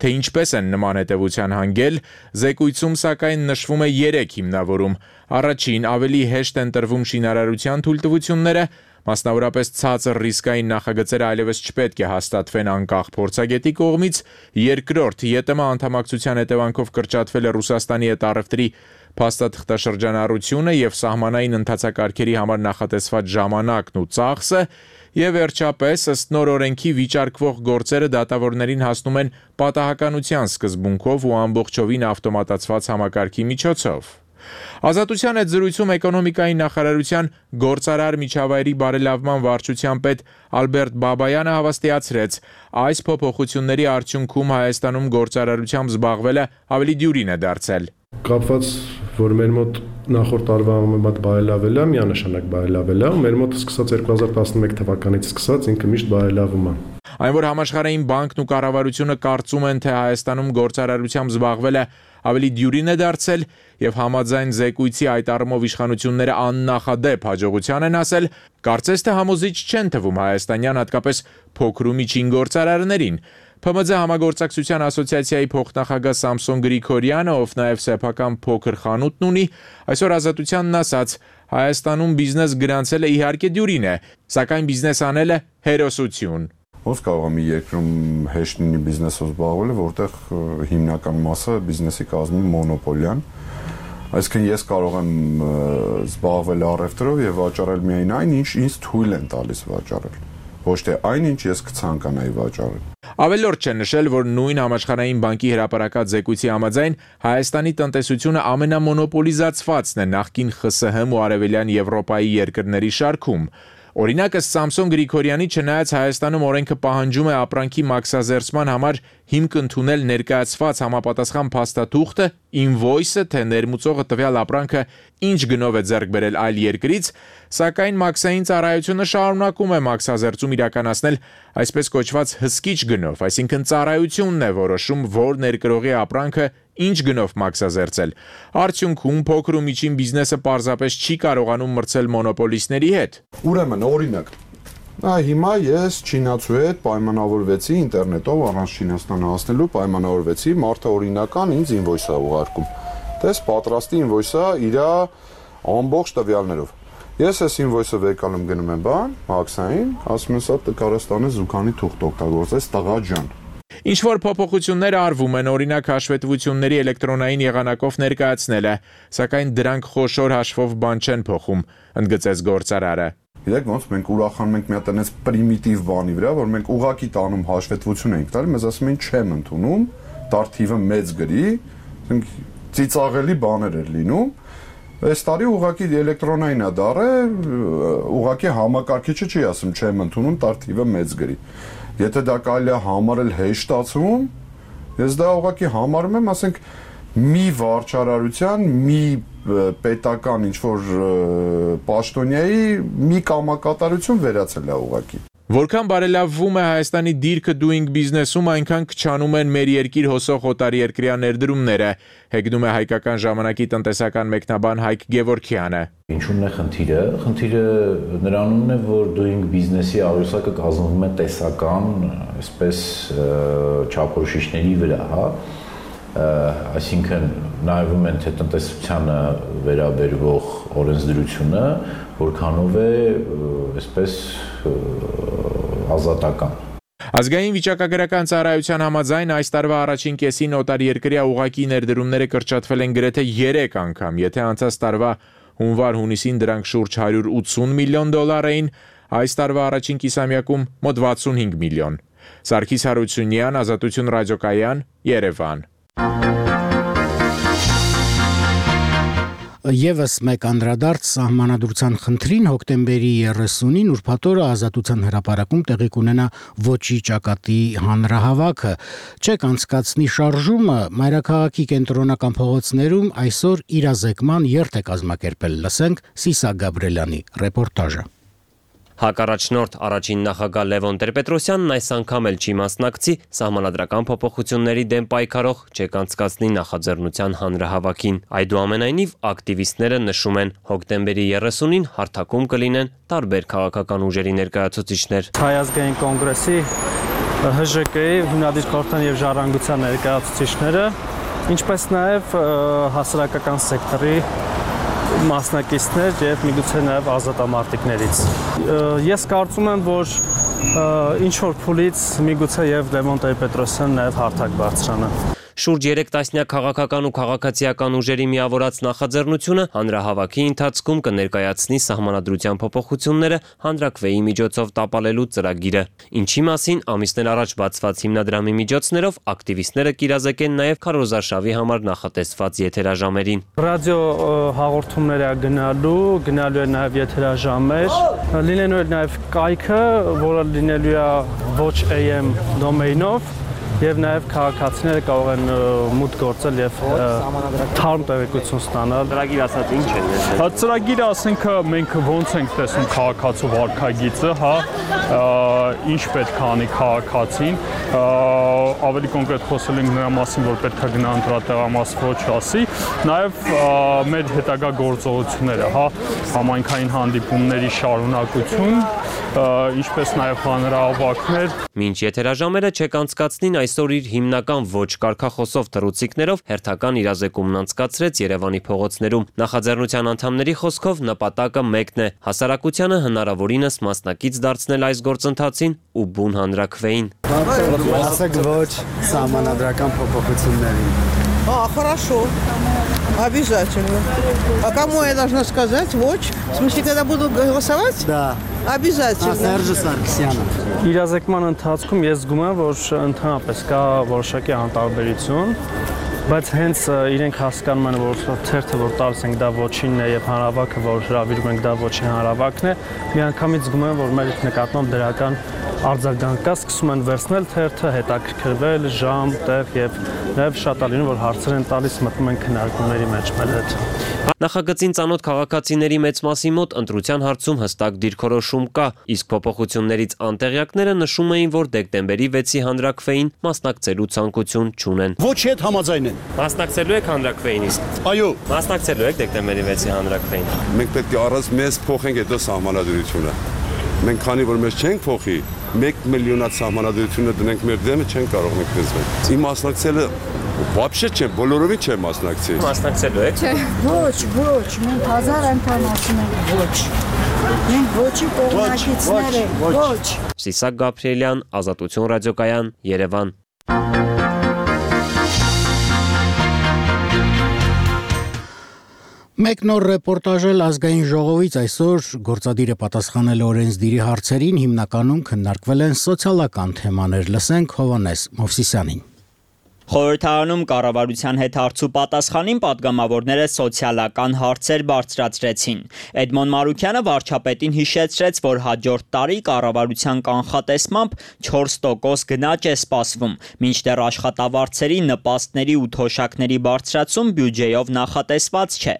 թե ինչպես են նման հետևության հանգել, զեկույցում սակայն նշվում է 3 հիմնավորում։ Առաջին, ավելի հեշտ են տրվում շինարարության թույլտվությունները, մասնավորապես ցածր ռիսկային նախագծերը այլևս չպետք է հաստատվեն անկախ փորձագետի կողմից, երկրորդ, ԵՏՄ անդամակցության հետևանքով կրճատվել է Ռուսաստանի հետ առևտրի փաստաթղթաշրջանառությունը եւ սահմանային ընթացակարգերի համար նախատեսված ժամանակն ու ծախսը, եւ վերջապես ըստ նոր օրենքի վիճարկվող գործերը դատավորներին հասնում են պատահականության սկզբունքով ու ամբողջովին ավտոմատացված համակարգի միջոցով։ Ազատության հետ զրույցում էկոնոմիկայի նախարարության գործարար միջավայրի բարելավման վարչության պետ Ալբերտ Բաբայանը հավաստիացրեց, այս փոփոխությունների արդյունքում Հայաստանում գործարարությամբ զբաղվելը ավելի դյուրին է դարձել։ Կապված, որ մեր մոտ նախորդ տարվա համեմատ բարելավել է, միանշանակ բարելավել է, մեր մոտ սկսած 2011 թվականից սկսած ինքը միշտ բարելավում է։ Այն որ Համաշխարհային բանկն ու կառավարությունը կարծում են, թե Հայաստանում գործարարությամբ զբաղվելը ավելի դյուրին է դարձել եւ համաձայն զեկույցի այդ առումով իշխանությունները աննախադեպ հաջողության են ասել, կարծես թե համոզիչ չեն թվում հայաստանյան հատկապես փոքր ու միջին գործարարներին։ ՓՄԶ համագործակցության ասոցիացիայի փոխնախագահ Սամսոն Գրիգորյանը, ով նաև սեփական փոքր խանութն ունի, այսօր Ազատությանն ասաց. Հայաստանում բիզնես գրանցելը իհարկե դյուրին է, սակայն բիզնես անելը հերոսություն։ Ոնց կարող է մի երկրում հեշտ լինի բիզնեսով զբաղվելը, որտեղ հիմնական մասը բիզնեսի կազմում մոնոպոլիան։ Այսինքն ես կարող եմ զբաղվել առևտրով եւ վաճառել միայն այն, ինչ ինձ թույլ են տալիս վաճառել, ոչ թե այն, ինչ ես կցանկանայի վաճառել։ Ավելորդ չէ նշել, որ նույն Համաշխարհային բանկի հրապարակած զեկույցի համաձայն Հայաստանի տնտեսությունը ամենամոնոպոլիզացվածն է նախկին ԽՍՀՄ ու Արևելյան Եվրոպայի երկրների շարքում։ Օրինակ ըստ Սամսոն Գրիգորյանի, չնայած Հայաստանում օրենքը պահանջում է ապրանքի մաքսազերծման համար հիմք ընդունել ներկայացված համապատասխան փաստաթուղթը, ինվոյսը, թե ներմուծողը տվյալ ապրանքը ինչ գնով է ձեռք բերել այլ երկրից, սակայն մաքսային ծառայությունը շարունակում է մաքսազերծում իրականացնել այսպես կոչված հսկիչ գնով, այսինքն ծառայությունն է որոշում, որ ներկրողի ապրանքը ինչ գնով մաքսազերծել։ Արդյունքում փոքր ու միջին բիզնեսը պարզապես չի կարողանում մրցել մոնոպոլիստների հետ։ Ուրեմն օրինակ, հիմա ես չինացու հետ պայմանավորվեցի ինտերնետով առանց Չինաստան հասնելու պայմանավորվեցի, մարդը օրինական ինձ ինվոյս է ուղարկում։ Տես պատրաստի ինվոյսը իր ամբողջ տվյալներով։ Ես այս ինվոյսը վեկալում գնում եմ մաքսային, ասում եմ սա կարաստանը զուգանի թուղթ օգտագործես տղա ջան։ Ինչ-որ փոփոխություններ արվում են, օրինակ հաշվետվությունների էլեկտրոնային եղանակով ներկայացնելը, սակայն դրանք խոշոր հաշվով բան չեն փոխում, ընդգծեց գործարարը։ Գիտեք ոնց մենք ուրախանում ենք մի հատ այնպես պրիմիտիվ բանի վրա, որ մենք ուղակի տանում հաշվետվություն ենք տալի, մեզ ասում են չեմ ընդունում, դարթիվը մեծ գրի, ծիծաղելի բաներ էր լինում։ Այս տարի ուղակի էլեկտրոնային է դառը, ուղակի համակարգիչը չի ասում չեմ ընդունում, դարթիվը մեծ գրի։ Եթե դա կարելի է համարել հեշտացում, ես դա ուղղակի համարում եմ, ասենք, մի վարչարարության, մի պետական ինչ-որ պաշտոնյայի մի կամակատարություն վերացել է ուղղակի։ Որքան բարելավվում է Հայաստանի դիրքը doing business-ում, այնքան քչանում են մեր երկիր հոսող օտարերկրյա ներդրումները, հեգնում է հայկական ժամանակի տնտեսական մեկնաբան Հայկ Գևորգյանը։ Ինչու՞մն է խնդիրը։ Խնդիրը նրանումն է, որ doing business-ի աղյուսակը կազմվում է տեսական, այսպես չափորոշիչների վրա, հա։ Այսինքն նայվում են թե տնտեսությանը վերաբերվող օրենսդրությունը որքանով է այսպես ազատական։ Ազգային վիճակագրական ծառայության համաձայն այս տարվա առաջին կեսին օտարերկրյա ուղղակի ներդրումները կրճատվել են գրեթե 3 անգամ, եթե անցած տարվա հունվար-հունիսին դրանք շուրջ 180 միլիոն դոլար էին, այս տարվա առաջին կիսամյակում մոտ 65 միլիոն։ Սարգիս Հարությունյան, Ազատություն ռադիոկայան, Երևան։ Եվս մեկ անդրադարձ սահմանադրության խնդրին հոկտեմբերի 30-ին ուրբաթ օրը Ազատության հրապարակում տեղի կունենա ոչի ճակատի հանրահավաքը։ Չեք անցկացնի շարժումը մայրաքաղաքի կենտրոնական փողոցներում այսօր իրազեկման երթ է կազմակերպել։ Լսենք Սիսակ Գաբրելյանի ռեպորտաժը։ Հակառաջնորդ առաջին նախագահ Լևոն Տեր-Պետրոսյանն այս անգամ էլ չի մասնակցի սահմանադրական փոփոխությունների դեմ պայքարող չեք անցկացնի նախաձեռնության հանրահավաքին։ Այդուամենայնիվ ակտիվիստները նշում են հոկտեմբերի 30-ին հարթակում կլինեն տարբեր քաղաքական ուժերի ներկայացուցիչներ։ Հայ ազգային կոնգրեսի ՀԺԿ-ի հիմնադիր խորհրդան եւ ժառանգության ներկայացուցիչները, ինչպես նաեւ հասարակական սեկտորի մասնակիցներ եւ միգուցե նաեւ ազատամարտիկներից։ Ես կարծում եմ, որ ինչ որ փուլից միգուցե եւ Լևոն Տեր-Պետրոսյանն նաեւ հարթակ բարձրանա։ Շուրջ 3 տասնյակ քաղաքական ու քաղաքացիական ուժերի միավորած նախաձեռնությունը հանրահավաքի ընթացքում կներկայացնի սահմանադրության փոփոխությունները հանրաքվեի միջոցով տապալելու ծրագիրը, ինչի մասին ամիսներ առաջ բացված հիմնադրամի միջոցներով ակտիվիստները կիրազեկեն նաև քարոզարշավի համար նախատեսված եթերաժամերին։ Ռադիո հաղորդումներ է գնալու է նաև եթերաժամեր, լինելու է նաև կայքը, որը լինելու է ոչ AM դոմեյնով, եւ նաեւ քաղաքացիները կարող են մուտք գործել եւ թարմ տեղեկություն ստանալ։ Ծրագիր ասած ինչ է։ Ծրագիրը ասենք մենք ոնց ենք տեսնում քաղաքացու վարքագիծը, հա, ինչ պետք է անի քաղաքացին, ավելի կոնկրետ խոսել ենք նրա մասին, որ պետք է գնա ընտրատեղամաս ոչ ասի, նաեւ մեր հետագա գործողությունները, հա, համայնքային հանդիպումների շարունակություն, ինչպես նաեւ հանրահավաքներ։ Մինչ եթերաժամերը չեք անցկացնին այսօր իր հիմնական ոչ կարգախոսով թռուցիկներով հերթական իրազեկումն անցկացրեց Երևանի փողոցներում։ Նախաձեռնության անդամների խոսքով նպատակը մեկն է՝ հասարակությանը հնարավորինս մասնակից դարձնել այս գործընթացին ու բուն հանրաքվեին։ Ասեք ոչ սահմանադրական փոփոխություններին։ Хорошо. Обязательно. А кому я должна сказать? Вот. В смысле, когда буду голосовать? Да. Обязательно. Սերժ Սարգսյանը։ Իրազեկման ընթացքում ես զգում եմ, որ ընդհանրապես կա որոշակի անտարբերություն, բայց հենց իրենք հասկանում են, որ թերթը որ տալիս ենք դա ոչինն է եւ հանրավաքը որ հրավիրում ենք դա ոչի հանրավաքն է, միանգամից զգում եմ, որ մեր նկատմամբ դրական արձագանք կա, սկսում են վերցնել թերթը, հետաքրքրվել, ժամ, տեղ եւ նաեւ շատ ալին որ հարցեր են տալիս, մտնում են քննարկումների մեջ մեր հետ։ Նախագծին ծանոթ քաղաքացիների մեծ մասի մոտ ընտրության հարցում հստակ դիրքորոշում կա, իսկ փոփոխություններից անտեղյակները նշում էին, որ դեկտեմբերի 6-ի հանրաքվեին մասնակցելու ցանկություն չունեն։ Ոչ հետ համաձայն են։ Մասնակցելու եք հանրաքվեին իսկ։ Այո։ Մասնակցելու եք դեկտեմբերի 6-ի հանրաքվեին։ Մենք պետք է առանց մեզ փոխենք այդ սահմանադրությունը։ Մենք քանի որ մեզ չենք փոխի, 1 միլիոնած սահմանադրությունը դնենք մեր դեմը, չենք կարող մենք դզվել։ Իմ մասնակցելը Вообще չեմ, բոլորովին չեմ մասնակցի։ Մասնակցելու եք։ Չէ, ոչ, մենք 1000 անգամ ասում ենք ոչ։ Մենք ոչի կողմնակիցներ ենք, ոչ։ Սիսակ Գաբրելյան, Ազատություն ռադիոկայան, Երևան։ Մեկ նոր ռեպորտաժ ազգային ժողովից այսօր գործադիրը պատասխանել օրենսդիրի հարցերին հիմնականում քննարկվել են սոցիալական թեմաներ, լսենք Հովանես Մովսիսյանին։ Խորհրդարանում կառավարության հետ հարցու պատասխանին պատգամավորները սոցիալական հարցեր բարձրացրեցին։ Էդմոն Մարուկյանը վարչապետին հիշեցրեց, որ հաջորդ տարի կառավարության կանխատեսմամբ 4% գնաճ է սպասվում, մինչդեռ աշխատավարձերի, նպաստների ու թոշակների բարձրացում բյուջեով նախատեսված չէ։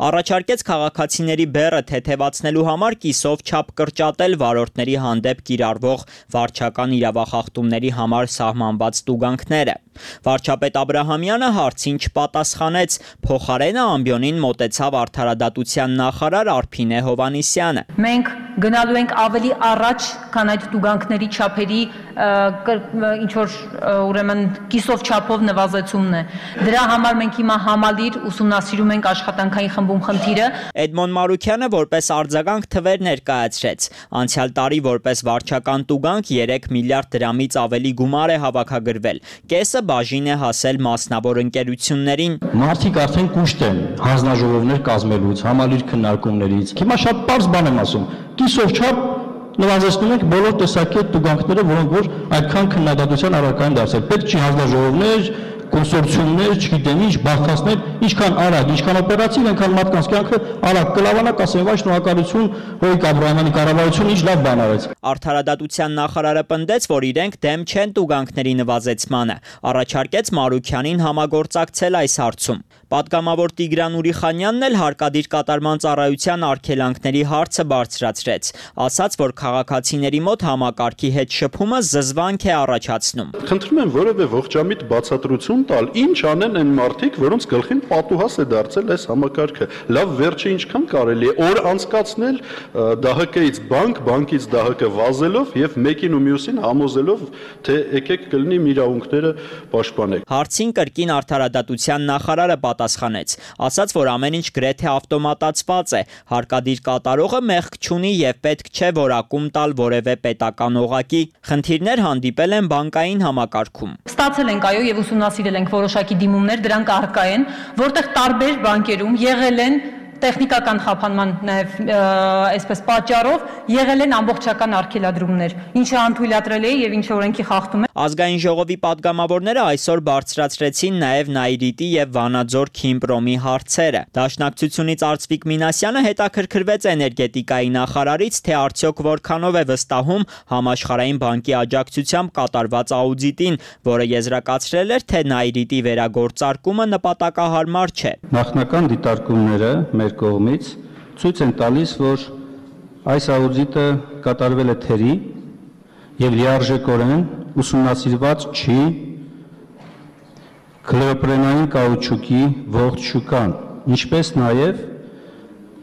Առաջարկեց քաղաքացիների բեռը թեթևացնելու համար կիսով չափ կրճատել վարորդների հանդեպ կիրառվող վարչական իրավախախտումների համար սահմանված տուգանքները։ Վարչապետ Աբրահամյանը հարցին չպատասխանեց, փոխարենը ամբիոնին մոտեցավ արդարադատության նախարար Արփինե Հովհաննիսյանը։ Մենք գնալու ենք ավելի առաջ, քան այդ տուգանքների չափերի ինչ որ ուրեմն կիսով չափով նվազեցումն է։ Դրա համար մենք հիմա համալիր ուսումնասիրում ենք աշխատանքային խմբում խնդիրը։ Էդմոն Մարուկյանը որպես արձագանք թվեր ներկայացրեց։ Անցյալ տարի որպես վարչական տուգանք 3 միլիարդ դրամից ավելի գումար է հավաքագրվել։ Կեսը բաժին է հասել մասնավոր ընկերություններին։ Մարդիկ արդեն կուշտ են հանձնաժողովներ կազմելուց, համալիր քննարկումներից։ Հիմա շատ པարզ բան եմ ասում։ Կիսով չափ նվազեցնում ենք բոլոր տեսակի տուգանքները, որոնք որ այդքան քննադատության առարկա են դարձել։ Պետք չի հանձնաժողովներ, կոնսորցիումներ, չգիտեմ ինչ, բախտացնել, ինչքան արագ, ինչքան օպերատիվ, այնքան մարդկանց կյանքը արագ կլավանա, կասեն վայ շնորհակալություն Հոյիկ Աբրահամյանի կառավարությունը ինչ լավ բան արեց։ Արդարադատության նախարարը պնդեց, որ իրենք դեմ չեն տուգանքների նվազեցմանը, առաջարկեց Մարուկյանին համագործակցել այս հարցում։ Պատգամավոր Տիգրան Ուրիխանյանն էլ հարկադիր կատարման ծառայության արգելանքների հարցը բարձրացրեց, ասաց, որ քաղաքացիների մոտ համակարգի հետ շփումը զզվանք է առաջացնում։ Խնդրում եմ որևէ ողջամիտ բացատրություն տալ, ինչ անեն այն մարդիկ, որոնց գլխին պատուհաս է դարձել այս համակարգը։ Լավ, վերջը ինչքան կարելի է օր անցկացնել ԴՀԿ-ից բանկ, բանկից ԴՀԿ վազելով եւ մեկին ու մյուսին համոզելով, թե եկեք կլինի իրավունքները պաշտպանեք։ Հարցին կրկին արդարադատության նախարարը պատասխանեց, ասաց, որ ամեն ինչ գրեթե ավտոմատացված է, հարկադիր կատարողը մեղք չունի եւ պետք չէ որակում տալ որևէ պետական օղակի։ Խնդիրներ հանդիպել են բանկային համակարգում։ Ստացել ենք այո եւ ուսումնասիրել ենք որոշակի դիմումներ, դրանք առկա են, որտեղ տարբեր բանկերում եղել են տեխնիկական խափանման նաև այսպես պատճառով եղել են ամբողջական արգելադրումներ, ինչը անթույլատրել է եւ ինչը օրենքի խախտում է։ Ազգային ժողովի պատգամավորները այսօր բարձրացրեցին նաև Նայիրիտի եւ Վանաձոր Քիմպրոմի հարցերը։ Դաշնակցությունից Արծվիկ Մինասյանը հետաքրքրվեց էներգետիկայի նախարարից, թե արդյոք որքանով է վստահում Համաշխարհային բանկի աջակցությամբ կատարված աուդիտին, որը եզրակացրել էր, թե Նայիրիտի վերագործարկումը նպատակահարմար չէ։ Նախնական դիտարկումները մեր կողմից ցույց են տալիս, որ այս աուդիտը կատարվել է թերի եւ լիարժեքորեն ուսումնասիրված չի քլորոպրենային կաուչուկի ողջ շուկան, ինչպես նաեւ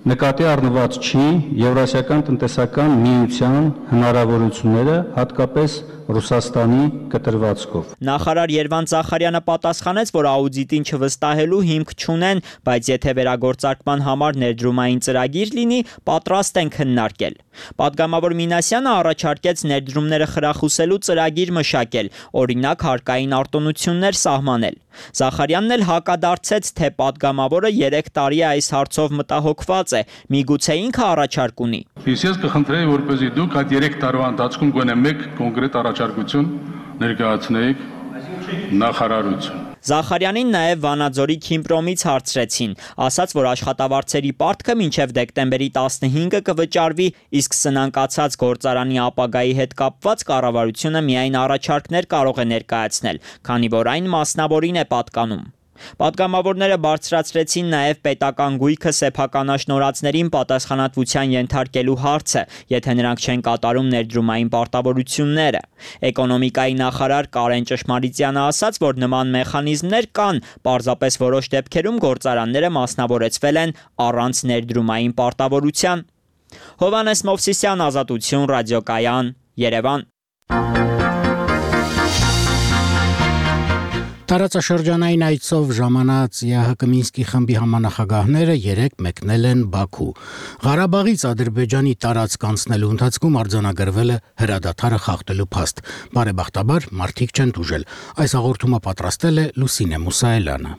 նկատի առնված չի Եվրասիական տնտեսական միության հնարավորությունները, հատկապես Ռուսաստանի կտրվածքով։ Նախարար Երվանդ Զախարյանը պատասխանեց, որ աուդիտին չվստահելու հիմք չունեն, բայց եթե վերագործարկման համար ներդրումային ծրագիր լինի, պատրաստ են քննարկել։ Պատգամավոր Մինասյանը առաջարկեց ներդրումները խրախուսելու ծրագիր մշակել, օրինակ հարկային արտոնություններ սահմանել։ Զախարյանն էլ հակադարձեց, թե պատգամավորը 3 տարի է այս հարցով մտահոգված է, միգուցե ինքը առաջարկ ունի։ Ես կխնդրեի, որպեսզի դուք այդ 3 տարվա ընթացքում գոնե մեկ կոնկրետ առաջարկություն ներկայացնեիք նախարարություն։ Զախարյանին նաև Վանաձորի Քիմպրոմից հարցրեցին, ասաց, որ աշխատավարձերի պարտքը մինչև դեկտեմբերի 15-ը կվճարվի, իսկ սնանկացած գործարանի ապագայի հետ կապված կառավարությունը միայն առաջարկներ կարող է ներկայացնել, քանի որ այն մասնավորին է պատկանում։ Պատգամավորները բարձրացրեցին նաև պետական գույքը սեփականաշնորհածներին պատասխանատվության ենթարկելու հարցը, եթե նրանք չեն կատարում ներդրումային պարտավորությունները։ Էկոնոմիկայի նախարար Կարեն Ճշմարիտյանը ասաց, որ նման մեխանիզմներ կան, պարզապես որոշ դեպքերում գործարանները մասնավորեցվել են առանց ներդրումային պարտավորության։ Հովհաննես Մովսիսյան, Ազատություն, Ռադիոկայան, Երևան։ Տարածաշրջանային այցով ժամանած ԵԱՀԿ Մինսկի խմբի համանախագահները 3 մեկնել են Բաքու։ Ղարաբաղից Ադրբեջանի տարածք անցնելու ընթացքում արձանագրվել է հրադադարը խախտելու փաստ։ Բարեբախտաբար մարդիկ չեն տուժել։ Այս հաղորդումը պատրաստել է Լուսինե Մուսայելյանը։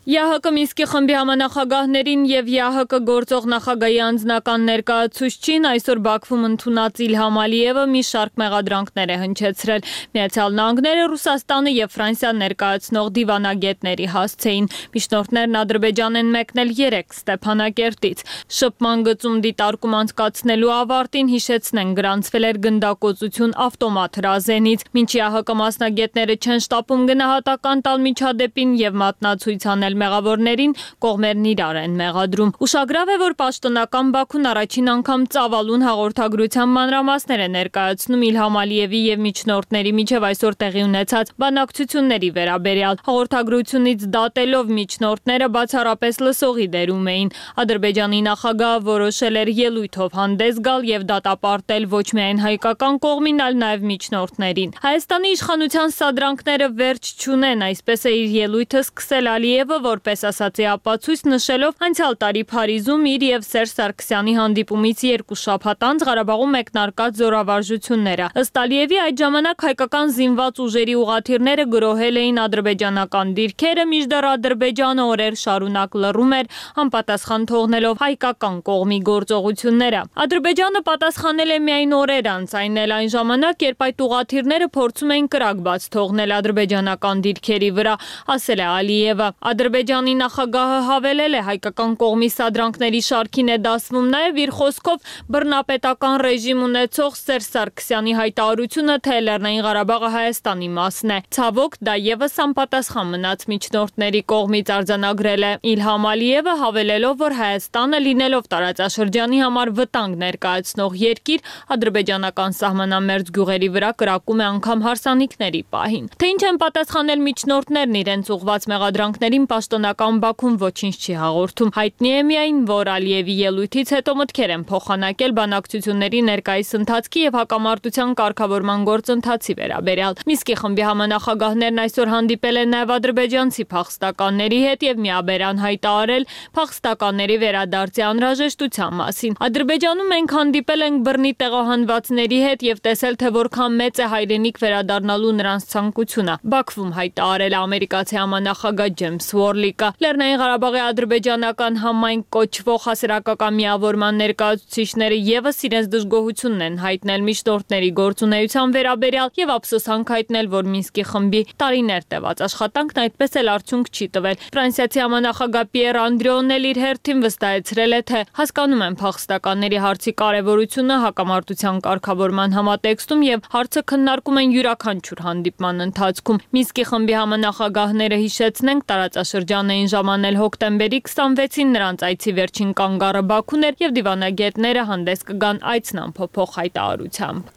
ԵԱՀԿ Մինսկի խմբի համանախագահներին եւ ԵԱՀԿ գործող նախագահի անձնական ներկայացուցչին այսօր Բաքվում ընդունած Իլհամ Ալիևը մի շարք մեղադրանքներ է հնչեցրել։ Միացյալ Նահանգները, Ռուսաստանը եւ Ֆրանսիան ներկայացնող դիվանագետների հասցեին։ Միջնորդներն Ադրբեջան են մեկնել 3 Ստեփանակերտից։ Շփման գծում դիտարկում անցկացնելու ավարտին հիշեցնեն գրանցվել էր գնդակոծություն ավտոմատ հրազենից։ Մինչ ԵԱՀԿ մասնագետները չեն շտապում գնահատական տալ միջադեպին եւ մատնացույց անել մեղավորներին, կողմերն իրար են մեղադրում։ Ուշագրավ է, որ պաշտոնական Բաքուն առաջին անգամ ծավալուն հաղորդագրության մանրամասներ է ներկայացնում Իլհամ Ալիևի եւ միջնորդների միջև այսօր տեղի ունեցած բանակցությունների վերաբերյալ։ Հաղորդագրությունից դատելով միջնորդները բացառապես լսողի դերում էին։ Ադրբեջանի նախագահը որոշել էր ելույթով հանդես գալ եւ դատապարտել ոչ միայն հայկական կողմին, այլ նաեւ միջնորդներին։ Հայաստանի իշխանության սադրանքները վերջ չունեն, այսպես է իր ելույթը սկսել Ալիևը, որպես ասացի ապացույց նշելով անցյալ տարի Փարիզում իր եւ Սերժ Սարգսյանի հանդիպումից 2 շաբաթ անց Ղարաբաղում մեկնարկած զորավարժությունները։ Ըստ Ալիևի այդ ժամանակ հայկական զինված ուժերի ուղղաթիռները գրոհել էին ադրբեջանական դիրքերը, մինչդեռ Ադրբեջանը օրեր շարունակ լռում էր, անպատասխան թողնելով հայկական կողմի գործողությունները։ Ադրբեջանը պատասխանել է միայն օրեր անց, այն էլ այն ժամանակ, երբ այդ ուղղաթիռները փորձում էին կրակ բաց թողնել ադրբեջանական դիրքերի վրա, ասել է Ալիևը։ Ադրբեջանի նախագահը հավելել է հայկական կողմի սադրանքների շարքին է դասվում նաև իր խոսքով բռնապետական ռեժիմ ունեցող Սերժ Սարգսյանի հայտարարությունը, թե Լեռնային Ղարաբաղը Հայաստանի մասն է։ Ցավոք, դա եւս անպատասխան մնաց միջնորդների կողմից արձանագրել է Իլհամ Ալիևը, հավելելով, որ Հայաստանը լինելով տարածաշրջանի համար վտանգ ներկայացնող երկիր, ադրբեջանական սահմանամերձ գյուղերի վրա կրակում է անգամ հարսանիքների պահին։ Թե ինչ են պատասխանել միջնորդներն իրենց ուղղված մեղադրանքներին պաշտոնական Բաքուն ոչինչ չի հաղորդում։ Հայտնի է միայն, որ Ալիևի ելույթից հետո մտքեր են փոխանակել բանակցությունների ներկայիս ընթացքի եւ հակամարտության կարգավորման գործընթացի վերաբերյալ։ Մինսկի խմբի համանախագահներն այսօր հանդիպել են նաեւ ադրբեջանցի փախստականների հետ եւ միաբերան հայտարարել փախստականների վերադարձի անհրաժեշտության մասին։ Ադրբեջանում մենք հանդիպել ենք բռնի տեղահանվածների հետ եւ տեսել, թե որքան մեծ է հայրենիք վերադառնալու նրանց ցանկությունը։ Բաքվում հայտարարել ամերիկացի համանախագահ Ջեյմս Ուորլիկը։ Լեռնային Ղարաբաղի ադրբեջանական համայն կոչվող հասարակական միավորման ներկայացուցիչները եւս իրենց դժգոհությունն են հայտնել միջնորդների գործունեության վերաբերյալ եւ ափսոսանք հայտնել, որ Մինսկի խմբի տարիներ տևած աշխատանքն այդպես էլ արդյունք չի տվել։ Ֆրանսիացի համանախագահ Պիեր Անդրեոն էլ իր հերթին վստահեցրել է, թե հասկանում են փախստականների հարցի կարևորությունը հակամարտության կարգավորման համատեքստում եւ հարցը քննարկում են յուրաքանչյուր հանդիպման ընթացքում։ Մինսկի խմբի համանախագահները հիշեցնենք տարածաշրջան էին ժամանել հոկտեմբերի 26-ին նրանց այցի վերջին կանգառը Բաքուն էր եւ դիվանագետները հանդես կգան այցն ամփոփող հայտարարությամբ։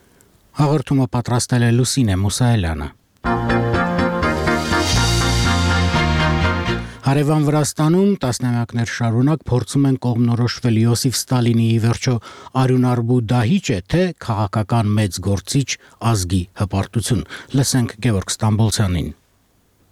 Հաղորդումը պատրաստել է Լուսինե Մուսայելյանը։ Հարևան Վրաստանում տասնամյակներ շարունակ փորձում են կողմնորոշվել Յոսիֆ Ստալինի ի վերջո արյունարբու դահիճ է, թե քաղաքական մեծ գործիչ ազգի հպարտություն։ Լսենք Գևորգ Ստամբոլցյանին։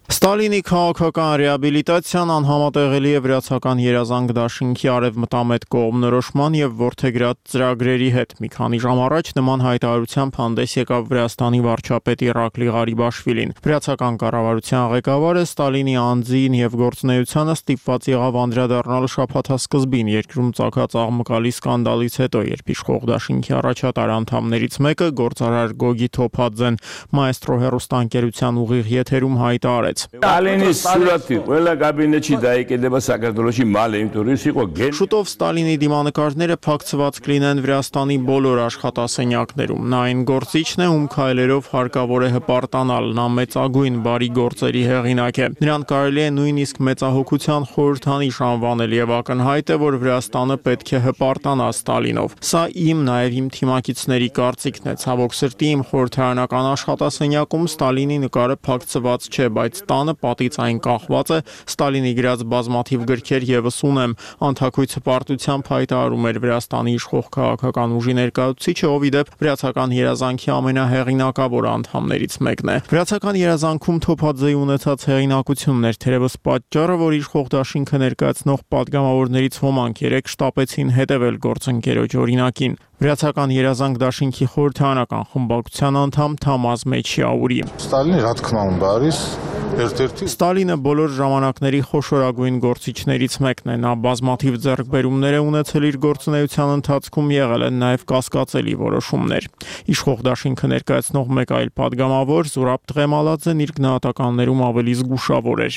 Ստալինի քաղաքական ռեաբիլիտացիան անհամատեղելի է վրացական երազանք դաշինքի արևմտամետ կողմնորոշման եւ ворթեգրած ծրագրերի հետ։ Մի քանի ժամ առաջ նման հայտարարությամբ հանդես եկավ Վրաստանի վարչապետ Իրակլի Ղարիբաշվիլին։ Վրացական կառավարության ղեկավարը Ստալինի անձին եւ գործունեությանը ստիպված եղավ անդրադառնալ շաբաթասկզբին երկրում ծագած աղմկալի սկանդալից հետո, երբ իշխող դաշինքի առաջատար անդամներից մեկը գործարար Գոգի Թոփաձեն Մայստրո հեռուստաընկերության ուղիղ եթերում հայտարարեց. Ստալինի սուրաթի ყველა կաբինետի դայեկեդება საქართველოში մալ ինտուրիս იყო գեն Շուտով Ստալինի դիմանկարները փակցված կլինեն Վրաստանի բոլոր աշխատասենյակներում։ Նա այն գործիչն է, ում քայլերով հարկավոր է հպարտանալ, նա մեծագույն բարի գործերի հեղինակ է։ Նրան կարելի է նույնիսկ մեծահոգության խորհրդանիշ անվանել եւ ակնհայտ է, որ Վրաստանը պետք է հպարտանա Ստալինով։ Սա իմ նաեւ իմ թիմակիցների կարծիքն է։ Ցավոք սրտի իմ խորհրդարանական աշխատասենյակում Ստալինի նկարը փակցված չէ, բայց տանը պատից այն կախված է, Ստալինի գրած բազմաթիվ գրքեր եւս ունեմ։ Անթակույց հպարտությամբ հայտարարում էր Վրաստանի իշխող քաղաքական ուժի ներկայացուցիչը, ով ի դեպ վրացական երազանքի ամենահեղինակավոր անդամներից մեկն է։ Վրացական երազանքում Թոփաձեի ունեցած հեղինակությունն էր թերևս պատճառը, որ իշխող դաշինքը ներկայացնող падգամավորներից ոմանք երեք շտապեցին հետևել գործընկերոջ օրինակին։ Վրացական երազանք դաշինքի խորհրդարանական խմբակցության անդամ Թամազ Մեչիաուրի։ Ստալինի რა თქმა უნდა არის Ստալինը բոլոր ժամանակների խոշորագույն գործիչներից մեկն է, նա բազմաթիվ ձեռքբերումներ է ունեցել իր գործունեության ընթացքում, եղել են նաև կասկածելի որոշումներ։ Իշխող դաշինքը ներկայացնող մեկ այլ падգամավոր Զուրաբ Տղեմալաձեն իր գնահատականներում ավելի զգուշավոր էր։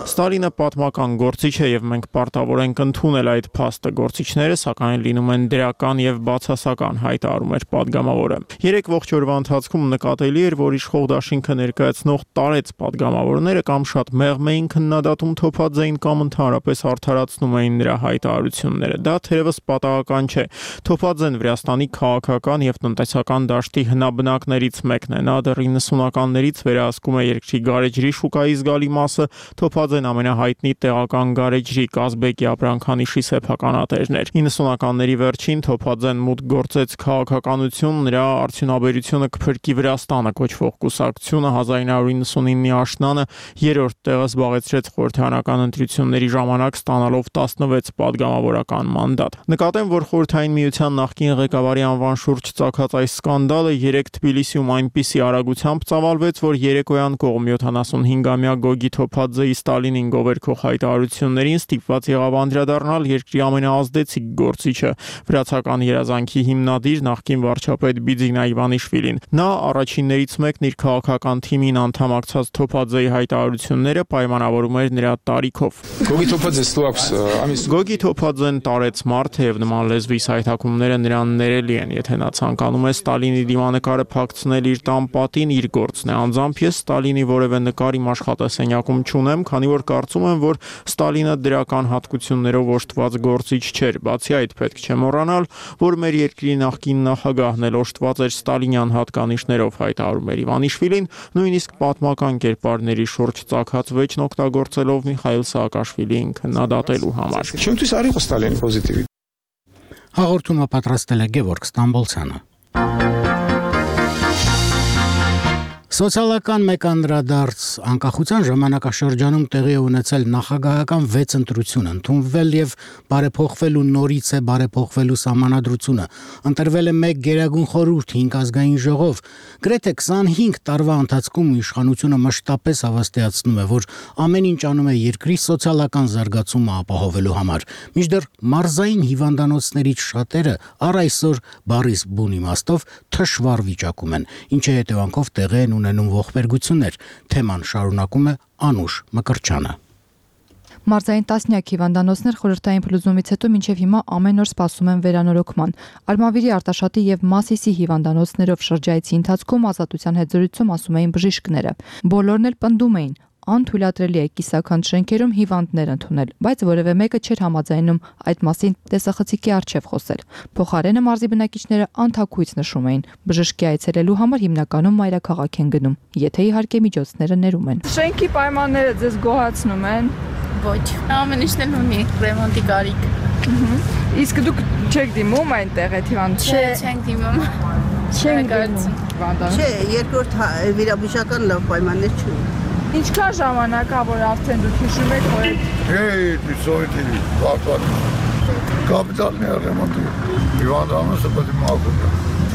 Ստալինը պատմական գործիչ է եւ մենք պարտավոր ենք ընդունել այդ փաստը, գործիչները սակայն լինում են դրական եւ բացասական, հայտարարում էր падգամավորը։ 3 ողջ օրվա ընթացքում նկատելի էր, որ իշխող դաշինքը ներկայացնող տարեց падգամավորները կամ շատ մեղմ էին քննադատում Թոփաձեին կամ ընդհանրապես արդարացնում էին նրա հայտարարությունները։ Դա թերևս պատահական չէ։ Թոփաձեն Վրաստանի քաղաքական եւ տնտեսական դաշտի հնաբնակներից մեկն է։ Նա դեռ 90-ականներից վերահսկում է երկրի գարեջրի շուկայի զգալի մասը։ Թոփաձեն ամենահայտնի տեղական գարեջրի Կազբեկի ապրանքանիշի սեփականատերն էր։ 90-ականների վերջին Թոփաձեն մուտք գործեց քաղաքականություն, նրա արդյունաբերությունը կփրկի Վրաստանը կոչվող կուսակցությունը 1999-ի աշնանը 3-րդ տեղը զբաղեցրեց խորհրդարանական ընտրությունների ժամանակ ստանալով 16 падգամավորական մանդատ։ Նկատեմ, որ Խորհրդային Միության նախկին ղեկավարի անվան շուրջ ծագած այս սկանդալը 3 Թբիլիսիում այնպիսի արագությամբ ծավալվեց, որ երեկոյան կողմ 75-ամյա Գոգի Թոփաձեի Ստալինին գովերքող հայտարարություններին ստիպված եղավ անդրադառնալ երկրի ամենաազդեցիկ գործիչը, վրացական երազանքի հիմնադիր նախկին վարչապետ Բիձինա Իվանիշվիլին։ Նա առաջիններից մեկն իր քաղաքական թիմին անդամակցած Թոփաձեի հայտարարությունները պայմանավորում էր նրա տարիքով։ Գոգի Թոփաձեն տարեց մարդ է եւ նման լեզվի հայտակումները նրան ներելի են, եթե նա ցանկանում է Ստալինի դիմանկարը փակցնել իր տան պատին, իր գործն է։ Անձամբ ես Ստալինի որևէ նկար իմ աշխատասենյակում չունեմ, քանի որ կարծում եմ, որ Ստալինը դրական հատկություններով օժտված գործիչ չէր։ Բացի այդ, պետք չէ մոռանալ, որ մեր երկրի նախկին նախագահն էլ օժտված էր ստալինյան հատկանիշներով, հայտարարում էր Իվանիշվիլին, նույնիսկ պատմական կերպարների շուրջ ծագած վեճն օգտագործելով Միխայիլ Սաակաշվիլիին քննադատելու համար։ Հաղորդումը պատրաստել է Գևորգ Ստամբոլցյանը։ Սոցիալական մեկ անդրադարձ անկախության ժամանակաշրջանում տեղի է ունեցել նախագահական 6 ընտրություն, ընդունվել եւ բարեփոխվելու նորից է բարեփոխվելու սահմանադրությունը, ընտրվել է 1 գերագույն խորհուրդ 5 ազգային ժողով, գրեթե 25 տարվա ընթացքում իշխանությունը մշտապես հավաստիացնում է, որ ամեն ինչ անում է երկրի սոցիալական զարգացումը ապահովելու համար, մինչդեռ մարզային հիվանդանոցներից շատերը առ այսօր բառիս բուն իմաստով թշվառ վիճակում են, ինչի հետևանքով տեղի են ունենում ողբերգություններ, թեման շարունակում է Անուշ Մկրտչյանը։ Մարզային տասնյակ հիվանդանոցներ խորհրդային փլուզումից հետո մինչև հիմա ամեն օր սպասում են վերանորոգման։ Արմավիրի, Արտաշատի եւ Մասիսի հիվանդանոցներով շրջայցի ընթացքում ազատության հետ զրույցում ասում էին բժիշկները։ Բոլորն էլ պնդում էին, անթույլատրելի է կիսաքանդ շենքերում հիվանդներ ընդունել, բայց որևէ մեկը չէր համաձայնում այդ մասին տեսախցիկի առջև խոսել։ Փոխարենը մարզի բնակիչները անթաքույց նշում էին, բժշկի այցելելու համար հիմնականում մայրաքաղաք են գնում, եթե իհարկե միջոցները ներում են։ Շենքի պայմանները ձեզ գոհացնում են։ Ոչ, ամեն ինչն էլ ունի ռեմոնտի կարիք։ Իսկ դուք չեք դիմում այնտեղ այդ հիվանդության։ Չէ, չենք դիմում։ Չենք դիմում։ Չէ, երկրորդ վիրաբուժական լավ պայմաններ չունի։ Ինչքան ժամանակ է, որ արդեն դուք հիշում եք, որ Սովետի կապիտալն է ռեմոնտի։ Հիվանդանոցը պետք է մաքուր։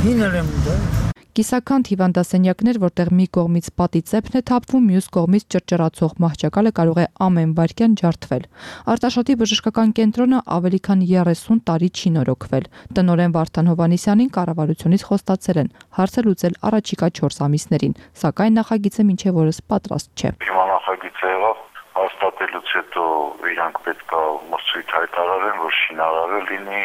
Հին ռեմոնտ է։ Կիսաքանդ հիվանդասենյակներ, որտեղ մի կողմից պատի ծեփն է թափվում, մյուս կողմից ճռճռացող մահճակալը կարող է ամեն վայրկյան ջարդվել։ Արտաշատի բժշկական կենտրոնը ավելի քան 30 տարի չի նորոգվել։ Տնօրեն Վարդան Հովհաննիսյանին կառավարությունից խոստացել են հարցը լուծել առաջիկա 4 ամիսներին, սակայն նախագիծը մինչև օրս պատրաստ չէ։ Հիմա նախագիծը եղավ հաստատելուց հետո իրանք պետք է մրցույթ հայտարարեն, որ շինարարը լինի։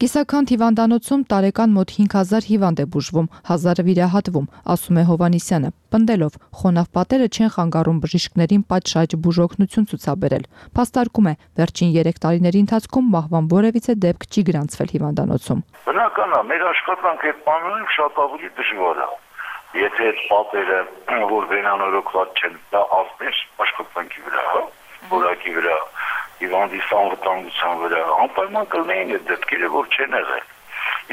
Կիսաքանդ հիվանդանոցում տարեկան մոտ 5000 հիվանդ է բուժվում, 1000-ը վիրահատվում, ասում է Հովհաննիսյանը, պնդելով խոնավ պատերը չեն խանգարում բժիշկներին պատշաճ բուժօգնություն ցուցաբերել։ Փաստարկում է, վերջին 3 տարիների ընթացքում մահվան որևիցե դեպք չի գրանցվել հիվանդանոցում։ Բնական է, մեր աշխատանքը այդ բաներում շատ ավելի դժվար է։ Եթե այդ պատերը, որ վերանորոգված չեն, դա ազդեր աշխատանքի վրա, որակի վրա, հիվանդի անվտանգության վրա, անպայման կլինեին այդ դեպքերը, որ չեն եղել։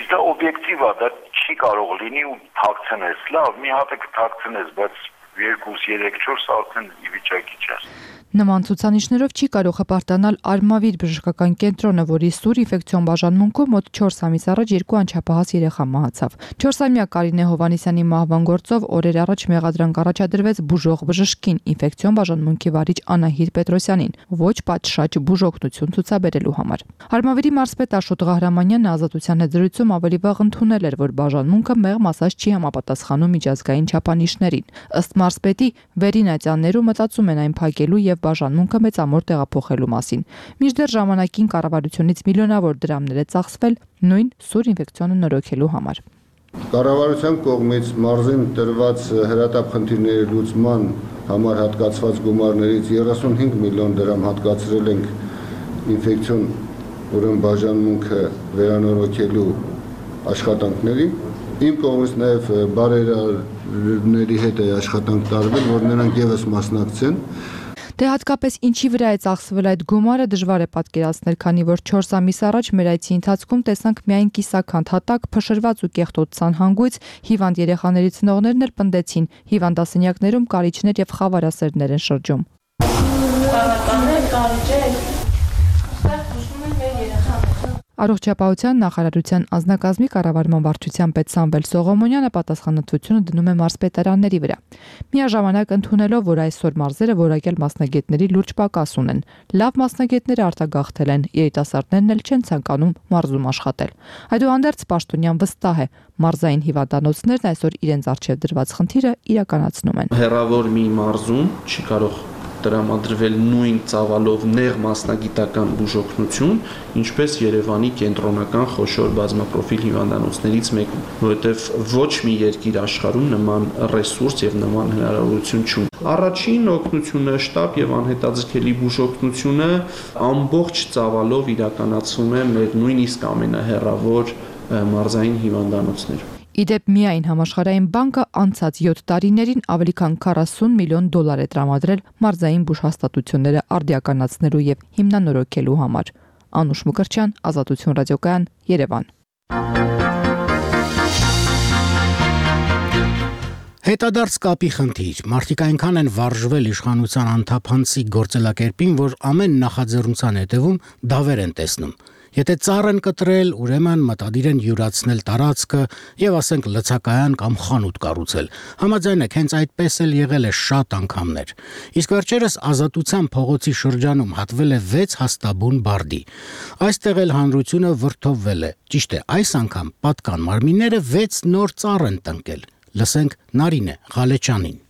Իսկ դա օբյեկտիվ է, դա չի կարող լինի ու թաքցնես, լավ, մի հատ է կթաքցնես, բայց 2, 3, 4 արդեն ի վիճակի չես։ Նման ցուցանիշներով չի կարող հպարտանալ Արմավիր բժշկական կենտրոնը, որի սուր ինֆեկցիոն բաժանմունքում մոտ 4 ամիս առաջ 2 անչափահաս երեխա մահացավ։ 4-ամյա Կարինե Հովհաննիսյանի մահվան գործով օրեր առաջ մեղադրանք առաջադրվեց բուժող բժշկին, ինֆեկցիոն բաժանմունքի վարիչ Անահիտ Պետրոսյանին, ոչ պատշաճ բուժօգնություն ցուցաբերելու համար։ Արմավիրի մարզպետ Աշոտ Ղահրամանյանը ազատության հետ զրույցում ավելի վաղ ընդունել էր, որ բաժանմունքը մեղմ ասած չի համապատասխանում միջազգային չափանիշներին։ Ըստ մարզպետի, վերինատյաններում մտածում են այն փակելու եւ բաժանմունքը մեծամոր տեղափոխելու մասին։ Մինչդեռ ժամանակին կառավարությունից միլիոնավոր դրամներ է ծախսվել նույն սուր ինֆեկցիոնը նորոգելու համար։ Կառավարության կողմից մարզին տրված հրատապ խնդիրների լուծման համար հատկացված գումարներից 35 միլիոն դրամ հատկացրել ենք ինֆեկցիոն բաժանմունքը վերանորոգելու աշխատանքներին։ Իմ կողմից նաև բարերարների հետ է աշխատանք տարվել, որ նրանք եւս մասնակցեն։ Դե հատկապես ինչի վրա է ծախսվել այդ գումարը դժվար է պատկերացնել, քանի որ 4 ամիս առաջ մեր այցի ընթացքում տեսանք միայն կիսաքանդ հատակ, փշրված ու կեղտոտ ցանհանգույց, հիվանդ երեխաների ծնողներն էլ պնդեցին, հիվանդասենյակներում կարիճներ եւ խավարասերներ են շրջում։ Առողջապահության նախարարության անձնակազմի կառավարման վարչության պետ Սամվել Սողոմոնյանը պատասխանատվությունը դնում է մարզպետարանների վրա։ Միաժամանակ ընդունելով, որ այսօր մարզերը որակյալ մասնագետների լուրջ պակաս ունեն։ Լավ մասնագետները արտագաղթել են, երիտասարդներն էլ չեն ցանկանում մարզում աշխատել։ Այդուհանդերձ պաշտոնյան վստահ է, մարզային հիվանդանոցներն այսօր իրենց առջև դրված խնդիրը իրականացնում են։ Հեռավոր մի մարզում չի կարող տրամադրվել նույն ծավալով նեղ մասնագիտական բուժօգնություն, ինչպես Երևանի կենտրոնական խոշոր բազմապրոֆիլ հիվանդանոցներից մեկում, որովհետև ոչ մի երկիր աշխարհում նման ռեսուրս եւ նման հնարավորություն չունի։ Առաջին օգնությունը, շտապ եւ անհետաձգելի բուժօգնությունը ամբողջ ծավալով իրականացվում է մեր նույնիսկ ամենահեռավոր մարզային հիվանդանոցներում։ Իդեպ միայն համաշխարհային բանկը անցած 7 տարիներին ավելի քան 40 միլիոն դոլար է տրամադրել մարզային բուժհաստատությունները արդիականացնելու եւ հիմնանորոգելու համար։ Անուշ Մկրտչյան, Ազատություն ռադիոկայան, Երևան։ Հետադարձ կապի խնդիր։ Մարդիկ այնքան են վարժվել իշխանության անթափանցիկ գործելակերպին, որ ամեն նախաձեռնության հետևում դավեր են տեսնում։ Եթե ծառ են կտրել, ուրեմն մտադիր են յուրացնել տարածքը եւ ասենք լցակայան կամ խանութ կառուցել։ Համաձայն եք, հենց այդպես էլ եղել է շատ անգամներ։ Իսկ վերջերս Ազատության փողոցի շրջանում հատվել է 6 հաստաբուն բարդի։ Այստեղ էլ հանրությունը վրդովվել է։ Ճիշտ է, այս անգամ պատկան մարմինները 6 նոր ծառ են տնկել։ Լսենք Նարինե Ղալեչյանին։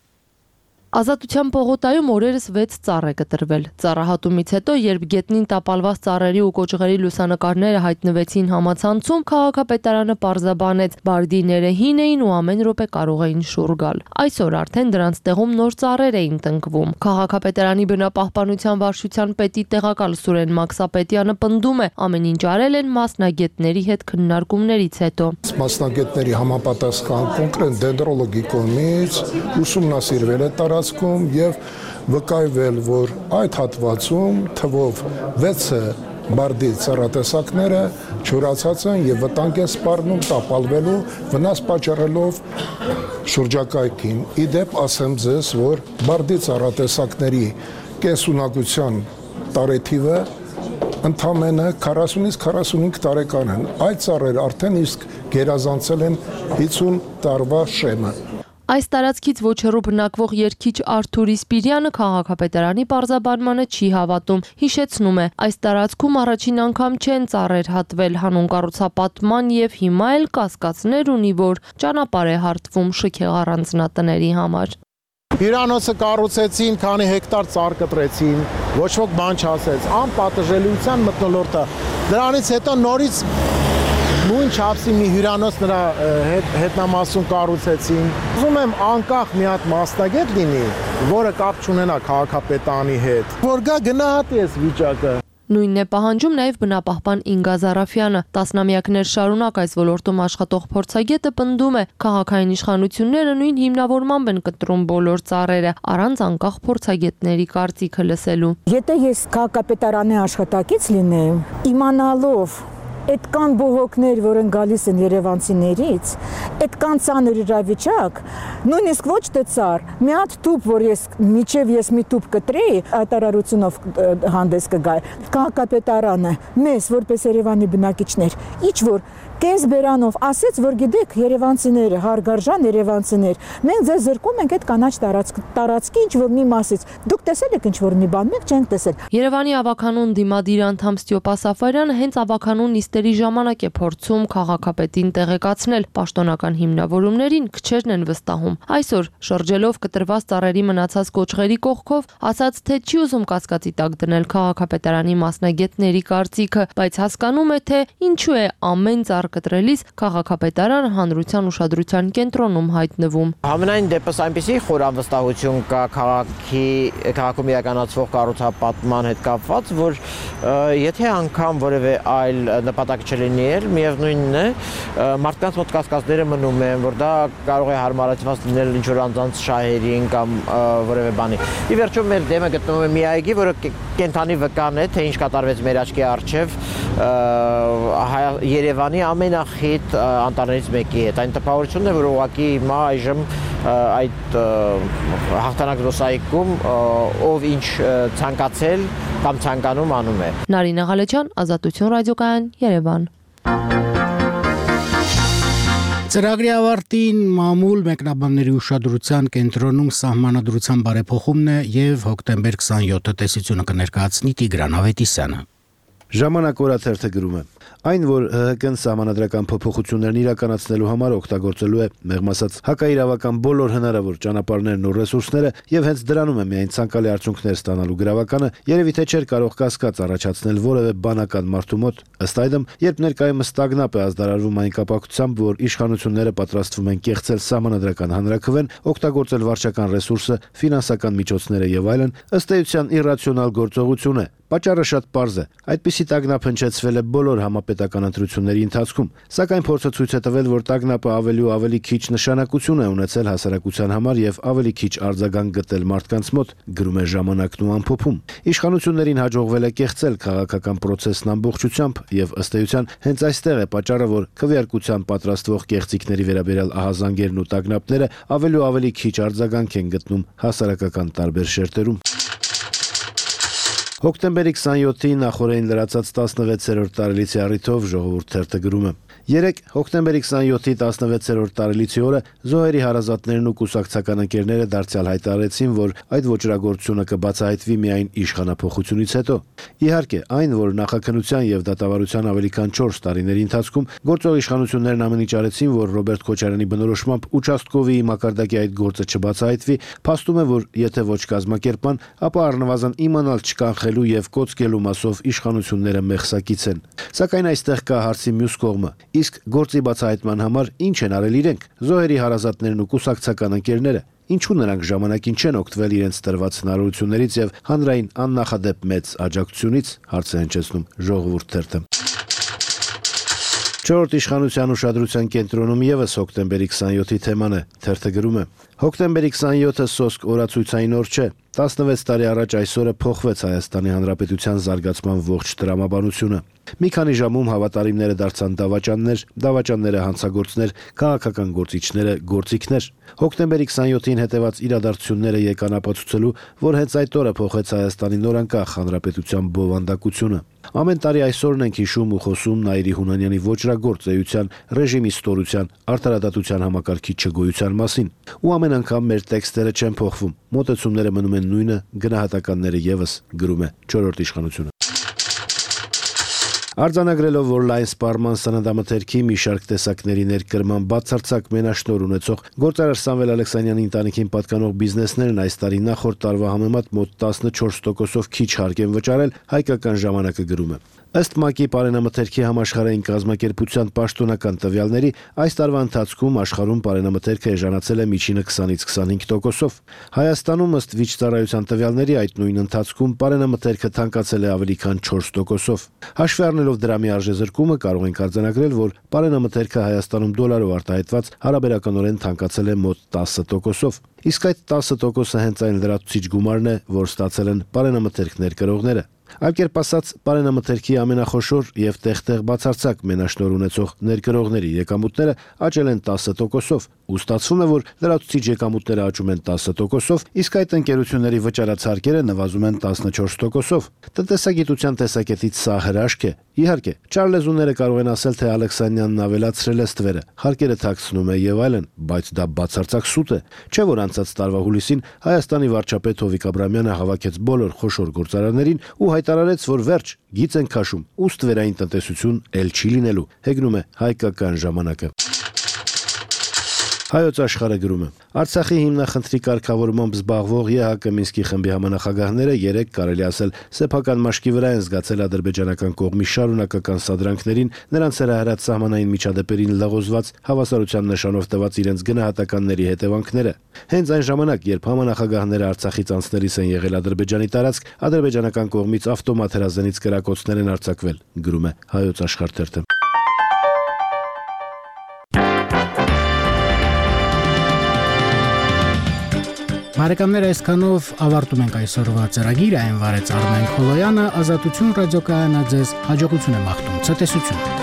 Ազատության պողոտայում օրերս 6 ծառ է կտրվել։ Ծառահատումից հետո, երբ գետնին տապալված ծառերի ու կոճղերի լուսանկարները հայտնվեցին համացանցում, քաղաքապետարանը պարզաբանեց, բարդիները հին էին ու ամեն րոպե կարող էին շուռ գալ։ Այսօր արդեն դրանց տեղում նոր ծառեր էին տնկվում։ Քաղաքապետարանի բնապահպանության վարչության պետի տեղակալ Սուրեն Մաքսապետյանը պնդում է, ամեն ինչ արել են մասնագետների հետ քննարկումներից հետո։ Մասնագետների համապատասխան կոնկրետ դենդրոլոգի կողմից ուսումնասիրվել է եւ վկայվել, որ այդ հատվածում թվով 6 բարդի ծառատեսակները չորացած են եւ վտանգ են սպառնում տապալվելու, վնաս պատճառելով շրջակայքին։ Իդեպ ասեմ ձեզ, որ բարդի ծառատեսակների կենսունակության տարեթիվը ընդամենը 40-ից 45 տարեկան են։ Այդ ծառերը արդեն իսկ գերազանցել են 50 տարվա շեմը։ Այս տարածքից ոչ հեռու բնակվող երգիչ Արթուր Իսպիրյանը քաղաքապետարանի պարզաբանմանը չի հավատում։ Հիշեցնում է, այս տարածքում առաջին անգամ չեն ծառեր հատվել, հանուն կառուցապատման եւ հիմա էլ կասկածներ ունի, որ ճանապարհ է հարթվում շքեղ առանձնատների համար։ Հյուրանոցը կառուցեցին, քանի հեկտար ծառ կտրեցին, ոչ ոք բան չասեց, անպատժելիության մթնոլորտը։ Դրանից հետո նորից նույն չափսի մի հյուրանոց նրա հետնամասում կառուցեցին։ Ուզում եմ անկախ մի հատ մասնագետ լինի, որը կապ չունենա քաղաքապետարանի հետ, որ գա գնահատի այս վիճակը։ Նույնն է պահանջում նաև բնապահպան Ինգա Զարաֆյանը։ Տասնամյակներ շարունակ այս ոլորտում աշխատող փորձագետը պնդում է, քաղաքային իշխանությունները նույն հիմնավորմամբ են կտրում բոլոր ծառերը, առանց անկախ փորձագետների կարծիքը լսելու։ Եթե ես քաղաքապետարանի աշխատակից լինեի, իմանալով այդ կան բողոքներ, որ են գալիս են երևանցիներից, այդ կան ծանր իրավիճակ, նույնիսկ ոչ թե ծառ, մի հատ տուփ, որ ես մի տուփ կտրեի, հայտարարությունով հանդես կգայ, քաղաքապետարանը մեզ, որպես Երևանի բնակիչներ, ինչ որ կես բերանով ասեց, որ գիտեք, երևանցիները, հարգարժան երևանցիներ, մենք ձեզ զրկում ենք այդ կանաչ տարածքի ինչ որ մի մասից։ Դուք տեսել եք ինչ որ մի բան, մենք չենք տեսել։ Երևանի ավականուն դիմադիր անդամ Ստյոպա Սաֆարյանը հենց ավականուն նիստերի ժամանակ է փորձում քաղաքապետին տեղեկացնել պաշտոնական հիմնավորումներին քչերն են վստահում։ Այսօր շրջելով կտրված ծառերի մնացած կոճղերի կողքով ասաց, թե չի ուզում կասկածի տակ դնել քաղաքապետարանի մասնագետների կարծիքը, բայց հասկանում է, թե ինչու է ամեն ծառ կտրելիս քաղաքապետարանը հանրության ուշադրության կենտրոնում հայտնվում։ Համենայն դեպս այնպիսի խոր անվստահություն կա քաղաքում իրականացվող կառուցապատման հետ կապված, որ եթե անգամ որևէ այլ նպատակ չլինի, միևնույնն է, մարդկանց մոտ կասկածները մնում են, որ դա կարող է հարմարացված լինել ինչ-որ անձանց շահերին կամ որևէ բանի։ Ի վերջո մեր դեմը գտնվում է մի այգի, որը կենթանի վկան է, թե ինչ կատարվեց մեր աչքի առջև Երևանի ամենախիտ անտառներից մեկի հետ։ Այն տպավորությունն է, որ ուղղակի հիմա այժմ այդ հաղթանակ զբոսայգում ով ինչ ցանկացել կամ ցանկանում անում է։ Նարինե Ղալեջյան, Ազատություն ռադիոկայան, Երևան։ Ծրագրի ավարտին մամուլ մեկնաբանների ուշադրության կենտրոնում սահմանադրության բարեփոխումն է եւ հոկտեմբեր 27-ը տեսությունը կներկայացնի Տիգրան Ավետիսյանը։ Ժամանակ օրաթերթը գրում է. Այն, որ ՀՀԿ-ն սահմանադրական փոփոխություններն իրականացնելու համար օգտագործելու է, մեղմ ասած, հակաիրավական բոլոր հնարավոր ճանապարհներն ու ռեսուրսները եւ հենց դրանում է միայն ցանկալի արդյունքներ ստանալու գրավականը, երևի թե չէր կարող կասկած առաջացնել որևէ բանական մարդու մոտ։ Ըստ այդմ, երբ ներկայումս ստագնապ է ազդարարվում այն կապակցությամբ, որ իշխանությունները պատրաստվում են կեղծել սահմանադրական հանրաքվեն, օգտագործել վարչական ռեսուրսը, ֆինանսական միջոցները եւ այլն, ըստ էության իրացիոնալ գործողություն է։ Պատճառը շատ պարզ է։ Այդպիսի տագնապ հնչեցվել է բոլոր համապետական ընտրությունների ընթացքում, սակայն փորձը ցույց է տվել, որ տագնապը ավելի ու ավելի քիչ նշանակություն է ունեցել հասարակության համար եւ ավելի քիչ արձագանք գտել մարդկանց մոտ, գրում է Ժամանակն ու ամփոփում։ Իշխանություններին հաջողվել է կեղծել քաղաքական process-ն ամբողջությամբ եւ ըստ էության հենց այստեղ է պատճառը, որ քվեարկության պատրաստվող կեղծիքների վերաբերյալ ահազանգերն ու տագնապները ավելի ու ավելի քիչ արձագանք են գտնում հասարակական տարբեր շերտերում։ Հոկտեմբերի 27-ին նախորդին լրացած 16-րդ տարելիցի առիթով ժողովուրդ թերթը գրում է. Երեկ հոկտեմբերի 27-ի 16-րդ տարելիցի օրը զոհերի հարազատներն ու կուսակցական ընկերները դարձյալ հայտարարեցին, որ այդ ոճրագործությունը կբացահայտվի միայն իշխանափոխությունից հետո։ Իհարկե, այն, որ նախաքննության եւ դատավարության ավելի քան 4 տարիների ընթացքում գործող իշխանություններն ամեն ինչ արեցին, որ Ռոբերտ Քոչարյանի բնորոշմամբ участковի մակարդակի այդ գործը չբացահայտվի, փաստում է, որ եթե ոչ կազմակերպման, ապա առնվազն իմանալ չկանխելու եւ կոծկելու մասով իշխանությունները մեղսակից են։ Սակայն այստեղ կա հարցի մյուս կողմը։ Իսկ գործի բացահայտման համար ինչ են արել իրենք, զոհերի հարազատներն ու կուսակցական ընկերները։ Ինչու նրանք ժամանակին չեն օգտվել իրենց տրված հնարավորություններից եւ հանրային աննախադեպ մեծ աջակցությունից, հարց է հնչեցնում ժողովուրդ թերթը։ Չորրորդ իշխանության ուշադրության կենտրոնում եւս հոկտեմբերի 27-ի թեման է, թերթը գրում է. Հոկտեմբերի 27-ը սոսկ օրացույցային օր չէ։ 16 տարի առաջ այսօրը փոխվեց Հայաստանի Հանրապետության զարգացման ողջ տրամաբանությունը։ Մի քանի ժամում հավատարիմները դարձան դավաճանները հանցագործներ, քաղաքական գործիչները գործիքներ։ Հոկտեմբերի 27-ին հետևած իրադարձությունները եկան ապացուցելու, որ հենց այդ օրը փոխեց Հայաստանի նորանկախ հանրապետության բովանդակությունը։ Ամեն տարի այսօրն ենք հիշում ու խոսում Նաիրի Հունանյանի ոճրագործ էության, ռեժիմի ստորության, արդարադատության համակարգի չգոյության մասին։ Ու ամեն անգամ մեր տեքստերը չեն փոխվում, մոտեցումները մնում են նույնը, գնահատականները եւս, գրում է չորրորդ իշխանությունը։ Արձանագրելով, որ լայն սպառման սննդամթերքի մի շարք տեսակների ներկրման բացարձակ մենաշնորհ ունեցող գործարար Սամվել Ալեքսանյանի ընտանիքին պատկանող բիզնեսներն այս տարի նախորդ տարվա համեմատ մոտ 14%-ով քիչ հարկ են վճարել, Հայկական ժամանակը գրում է. Ըստ ՄԱԿ-ի պարենամթերքի համաշխարհային կազմակերպության պաշտոնական տվյալների, այս տարվա ընթացքում աշխարհում պարենամթերքը էժանացել է միջինը 20-ից 25%-ով։ Հայաստանում ըստ վիճծառայության տվյալների այդ նույն ընթացքում պարենամթերքը թանկացել է ավելի քան 4%-ով։ Հաշվի առնելով դրամի արժեզրկումը, կարող ենք արձանագրել, որ պարենամթերքը Հայաստանում դոլարով արտահայտված հարաբերականորեն թանկացել է մոտ 10%-ով։ Իսկ այդ 10%-ը հենց այն լրացուցիչ գումարն է, որ ստացել են պարենամթերքներ կրողները։ Այլ կերպ ասած, բարենամթերքի ամենախոշոր եւ տեղ-տեղ բացարձակ մենաշնորհ ունեցող ներկրողների եկամուտները աճել են 10%-ով, ու ստացվում է, որ լրացուցիչ եկամուտները աճում են 10%-ով, իսկ այդ ընկերությունների վճարացարկերը նվազում են 14%-ով։ Տնտեսագիտության տեսակետից սա հրաշք է։ Իհարկե, չարլեզուները կարող են ասել, թե Ալեքսանյանն ավելացրել է ստվերը, հարկերը թաքցնում է եւ այլն, բայց դա բացարձակ սուտ է։ Չէ՞ որ անցած տարվա հուլիսին Հայաստանի վարչապետ Հովիկ Աբրամյանը հավաքեց բոլոր խոշոր գործարաններին ու հայտարարեց, որ վերջ, գիծ են քաշում, ու ստվերային տնտեսություն էլ չի լինելու։ Հեգնում է հայկական ժամանակը։ Հայոց աշխարհը գրում է. Արցախի հիմնախնդրի կարգավորմամբ զբաղվող ԵՀԿ Մինսկի խմբի համանախագահները երեկ կարելի ասել սեփական մաշկի վրա են զգացել ադրբեջանական կողմի շարունակական սադրանքներին, նրանց հրահրած սահմանային միջադեպերին լղոզված հավասարության նշանով տված իրենց գնահատականների հետևանքները։ Հենց այն ժամանակ, երբ համանախագահները Արցախից անցնելիս են եղել Ադրբեջանի տարածք, ադրբեջանական կողմից ավտոմատ հրազենից կրակոցներ են արձակվել, գրում է Հայոց աշխարհ թերթը։ Բարեկամներ, այսքանով ավարտում ենք այսօրվա ծրագիրը, այն վարեց Արմեն Խոլոյանը, Ազատություն ռադիոկայանը ձեզ հաջողություն է մաղթում, ցտեսություն։